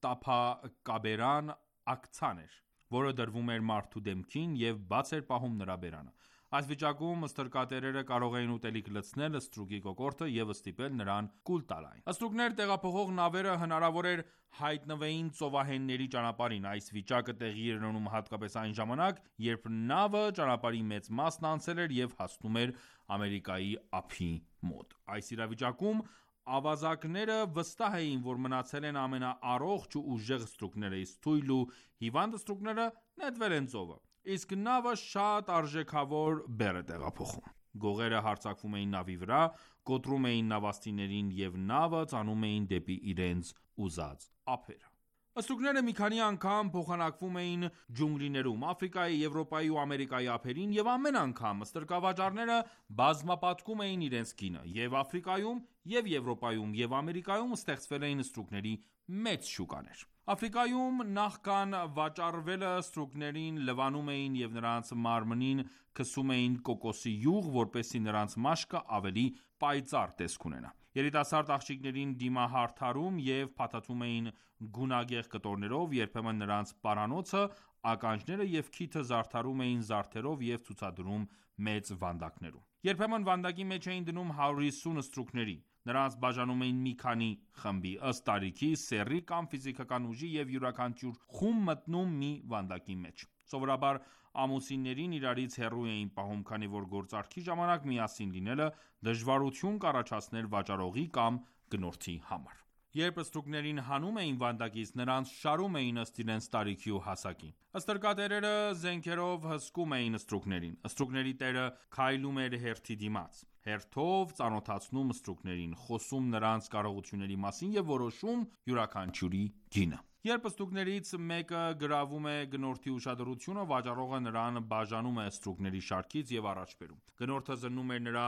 տափակաբերան ակցան էր, որը դրվում էր մարդու դեմքին և բաց էր պահում նրա բերանը։ Այս վիճակում ստրկատերերը կարող էին ուտելիք լցնել ստրուկի կոկորդը և ստիպել նրան կուլ տալ այն։ Ստրուկներ տեղափոխող նավերը հնարավոր էր հայտնվեին ծովահենների ճանապարհին։ Այս վիճակը տեղի էր ունենում հատկապես այն ժամանակ, երբ նավը ճանապարհի մեծ մասն անցել էր և հասնում էր Ամերիկայի ափի մոտ։ Այս իրավիճակում ավազակները վստահ էին, որ մնացել են ամենաառողջ ու ուժեղ ստրուկները, իսկ թույլ ու հիվանդ ստրուկները նետվել են ծովը, իսկ նավը շատ արժեքավոր բեռ է տեղափոխում։ Գողերը հարձակվում էին նավի վրա, կոտրում էին նավաստիներին և նավը տանում էին դեպի իրենց ուզած ափերը։ Ստրուկները մի քանի անգամ փոխանակվում էին ջունգլիներում, Աֆրիկայի, Եվրոպայի ու Ամերիկայի ափերին, և ամեն անգամ ստրկավաճառները բազմապատկում էին իրենց գինը։ Եվ Աֆրիկայում, և Եվրոպայում, և Ամերիկայում ստեղծվել էին ստրուկների մեծ շուկաներ։ Աֆրիկայում նախքան վաճառվելը ստրուկներին լվանում էին և նրանց մարմնին քսում էին կոկոսի յուղ, որպեսզի նրանց մաշկը ավելի պայծառ տեսք ունենա։ Երիտասարդ աղջիկներին դիմահարդարում և փաթաթում էին գունագեղ կտորներով, երբեմն նրանց պարանոցը ականջները և քիթը զարդարում էին զարդերով և ցուցադրում մեծ վանդակներում։ Երբեմն վանդակի մեջ էին դնում 150 ստրուկների։ Նրանց բաժանում էին մի քանի խմբի, ըստ տարիքի, սեռի կամ ֆիզիկական ուժի և յուրաքանչյուր խումբ մտնում մի վանդակի մեջ։ Սովորաբար ամուսիններին իրարից հեռու էին պահում, քանի որ գործարքի ժամանակ միասին լինելը դժվարություն կառաջացներ վաճառողի կամ գնորդի համար։ Երբ ստրուկներին հանում էին վանդակից, նրանց շարում էին ըստ իրենց տարիքի ու հասակի։ Ստրկատերերը զենքերով հսկում էին ստրուկներին։ Ստրուկների տերը քայլում էր հերթի դիմաց, հերթով ծանոթացնում ստրուկներին, խոսում նրանց կարողությունների մասին և որոշում յուրաքանչյուրի գինը։ Երբ ստրուկներից մեկը գրավում է գնորդի ուշադրությունը, վաճառողը նրան բաժանում է ստրուկների շարքից և առաջ բերում։ Գնորդը զննում էր նրա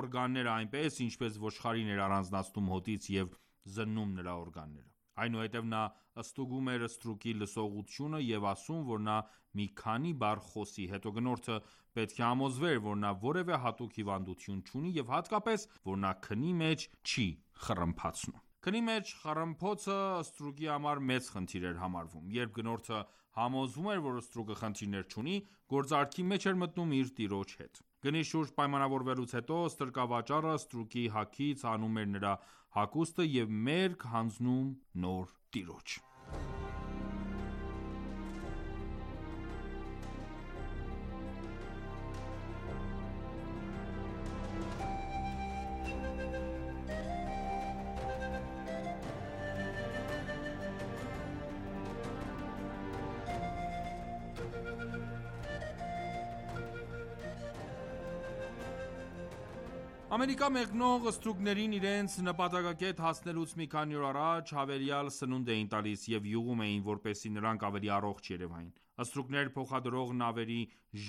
օրգանները այնպես, ինչպես ոչխարին էր առանձնացնում հոտից և զննում նրա օրգանները։ Այնուհետև նա ստուգում էր ստրուկի լսողությունը և ասում, որ նա մի քանի բառ խոսի, հետո գնորդը պետք է համոզվեր, որ նա որևէ հատուկ հիվանդություն չունի և հատկապես, որ նա քնի մեջ չի խռմփացնում։ Քնի մեջ խռմփոցը ստրուկի համար մեծ խնդիր էր համարվում։ Երբ գնորդը համոզվում էր, որ ստրուկը խնդիրներ չունի, գործարքի մեջ էր մտնում իր տիրոջ հետ։ Գնի շուրջ պայմանավորվելուց հետո ստրկավաճառը ստրուկի հագից հանում էր նրա հագուստը և մերկ հանձնում նոր տիրոջ։ Ամերիկա մեկնող ստրուկներին իրենց նպատակակետ հասնելուց մի քանի օր առաջ հավելյալ սնունդ էին տալիս և յուղում էին, որպեսզի նրանք ավելի առողջ երևային։ Ստրուկներ փոխադրող նավերի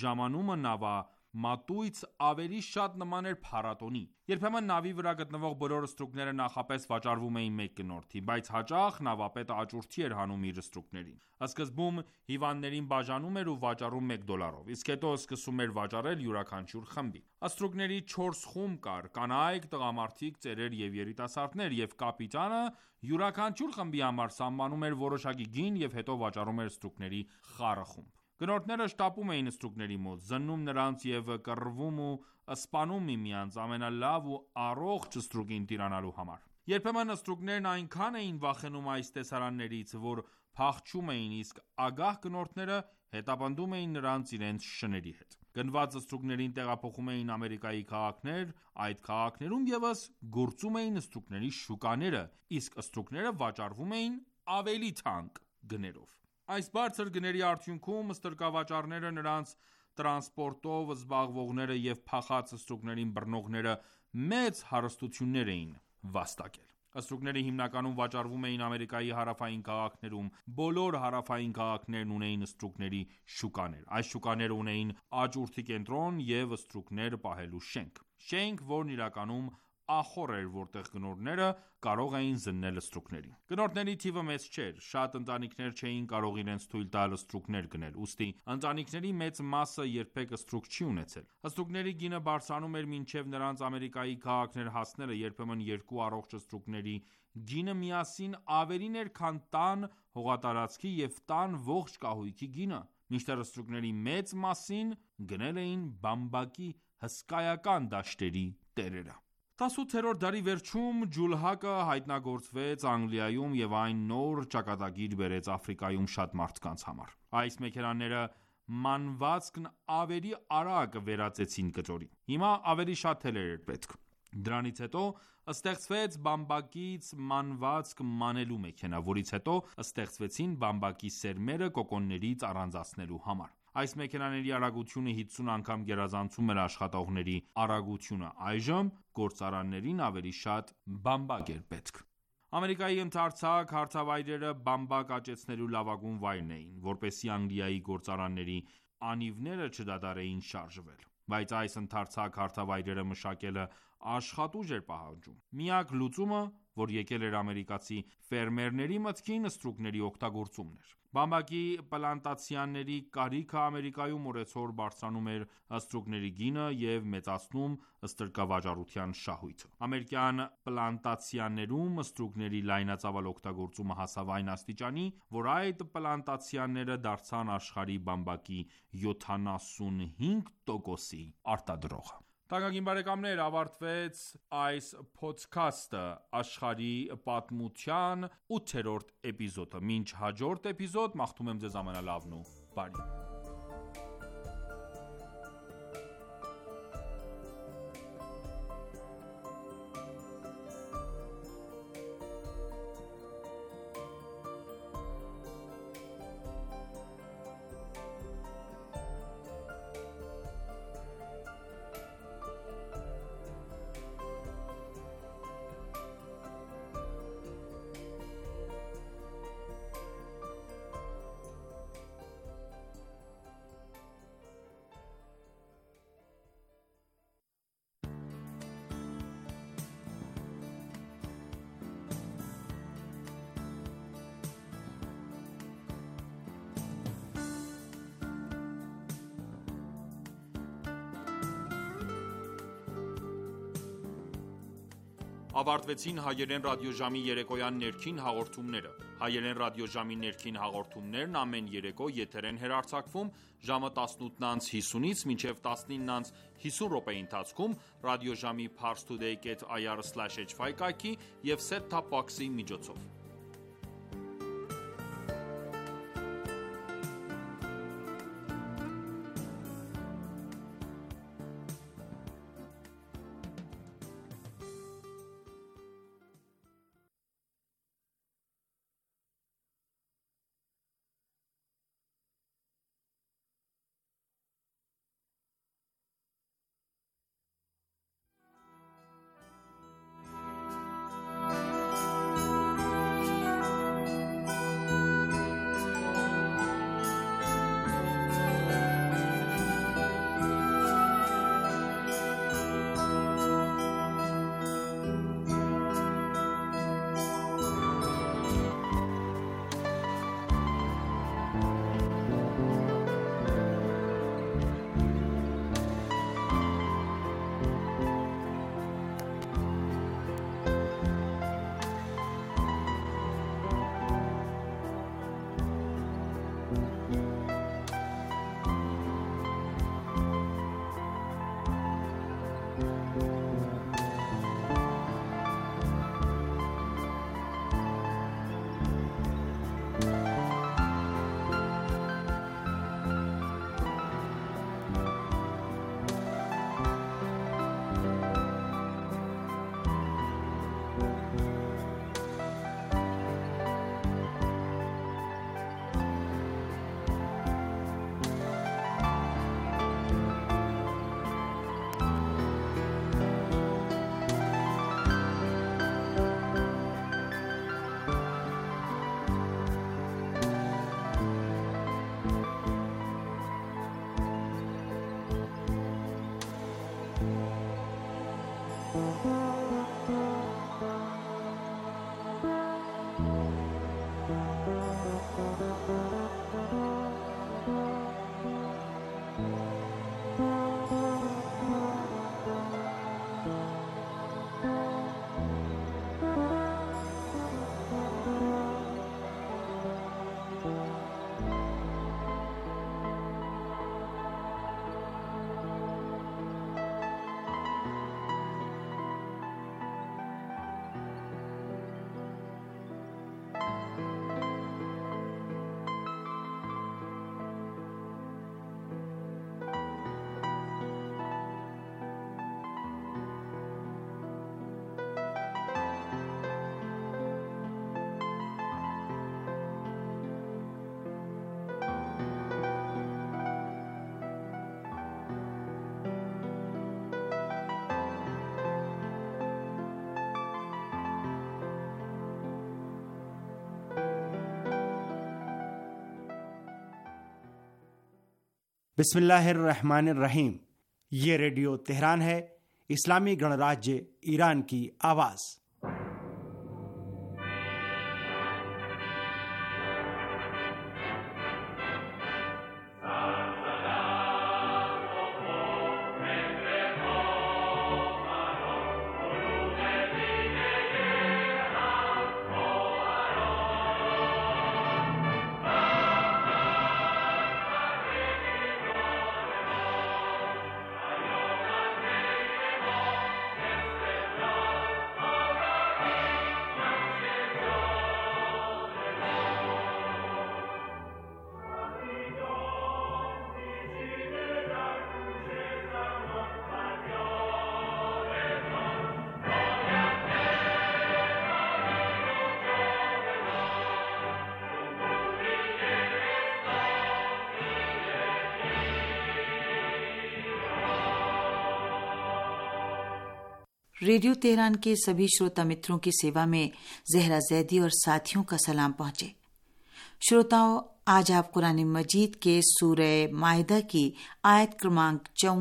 ժամանումը նավամատույց ավելի շատ նման էր փառատոնի։ Երբեմն նավի վրա գտնվող բոլոր ստրուկները նախապես վաճառվում էին մեկ գնորդի, բայց հաճախ նավապետը աճուրդի էր հանում իր ստրուկներին։ Սկզբում հիվանդներին բաժանում էր ու վաճառում $1, իսկ հետո սկսում էր վաճառել յուրաքանչյուր խմբի։ Ստրուկների 4 խումբ կար՝ կանայք, տղամարդիկ, ծերեր և երիտասարդներ, և կապիտանը յուրաքանչյուր խմբի համար սահմանում էր որոշակի գին և հետո վաճառում էր ստրուկների խառը խումբ։ Գնորդները շտապում էին ստրուկների մոտ, զննում նրանց և կռվում ու սպանում միմյանց ամենալավ ու առողջ ստրուկին տիրանալու համար։ Երբեմն ստրուկներն այնքան էին վախենում այս տեսարաններից, որ փախչում էին, իսկ ագահ գնորդները հետապնդում էին նրանց իրենց շների հետ։ Գնված ստրուկներին տեղափոխում էին Ամերիկայի քաղաքներ, այդ քաղաքներում ևս գործում էին ստրուկների շուկաները, իսկ ստրուկները վաճառվում էին ավելի թանկ գներով։ Այս բարձր գների արդյունքում ստրկավաճառները, նրանց տրանսպորտով զբաղվողները և փախած ստրուկներին բռնողները մեծ հարստություններ էին վաստակել։ Ստրուկները հիմնականում վաճառվում էին Ամերիկայի հարավային քաղաքներում։ Բոլոր հարավային քաղաքներն ունեին ստրուկների շուկաներ։ Այս շուկաները ունեին աճուրդի կենտրոն և ստրուկներ պահելու շենք։ Շենք, որն իրականում ախոռ էր, որտեղ գնորդները կարող էին զննել ստրուկներին։ Գնորդների թիվը մեծ չէր։ Շատ ընտանիքներ չէին կարող իրենց թույլ տալ ստրուկներ գնել, ուստի ընտանիքների մեծ մասը երբեք ստրուկ չի ունեցել։ Ստրուկների գինը բարձրանում էր մինչև նրանց Ամերիկայի քաղաքներ հասնելը, երբեմն երկու առողջ ստրուկների գինը միասին ավելին էր, քան տան հողատարածքի և տան ողջ կահույքի գինը։ Մինչդեռ ստրուկների մեծ մասին գնել էին բամբակի հսկայական դաշտերի տերերը։ 18-րդ դարի վերջում ջուլհակը հայտնագործվեց Անգլիայում և այն նոր ճակատագիր բերեց Աֆրիկայում շատ մարդկանց համար։ Այս մեքենաները մանվածքն ավելի արագ վերածեցին կտորի։ Հիմա ավելի շատ թելեր էր պետք։ Դրանից հետո ստեղծվեց բամբակից մանվածք մանելու մեքենա, որից հետո ստեղծվեցին բամբակի սերմերը կոկոններից առանձնացնելու համար։ Այս մեքենաների արագությունը 50 անգամ գերազանցում էր աշխատողների արագությունը։ Այժմ գործարաններին ավելի շատ բամբակ էր պետք։ Ամերիկայի ընդարձակ հարթավայրերը բամբակ աճեցնելու լավագույն վայրն էին, որպեսզի Անգլիայի գործարանների անիվները չդադարեին շարժվել։ Բայց այս ընդարձակ հարթավայրերը մշակելը աշխատուժ էր պահանջում։ Միակ լուծումը որ եկել էր ամերիկացի ֆերմերների մտքին ստրուկների օգտագործումն էր։ Բամբակի պլանտացիաների կարիքը Ամերիկայում օրեցօր բարձրանում էր ստրուկների գինը և մեծացնում ստրկավաճառության շահույթը։ Ամերիկյան պլանտացիաներում ստրուկների լայնածավալ օգտագործումը հասավ այն աստիճանի, որ այդ պլանտացիաները դարձան աշխարհի բամբակի 75%-ի արտադրողը։ Թանկագին բարեկամներ, ավարտվեց այս փոդքասթը, աշխարհի պատմության 8-րդ էպիզոդը։ Մինչ հաջորդ էպիզոդ, մաղթում եմ ձեզ ամենալավն ու բարին։ Ավարտվեցին հայերեն ռադիոժամի երեկոյան ներքին հաղորդումները։ Հայերեն ռադիոժամի ներքին հաղորդումներն ամեն երեկո եթեր են հեռարձակվում ժամը 18:50-ից մինչև 19:50 րոպեի ընթացքում ռադիոժամի parstoday.ir/hy կայքի և set-top box-ի միջոցով։ बिस्मिल्लाहिर्रहमानिर्रहीम। ये radio Tehran है, इस्लामी गणराज्य ईरान की आवाज़। रेडियो तेहरान के सभी श्रोता मित्रों की सेवा में जहरा जैदी और साथियों का सलाम पहुंचे। श्रोताओं, आज आप कुरान मजीद के सूरह माइदा की आयत क्रमांक 54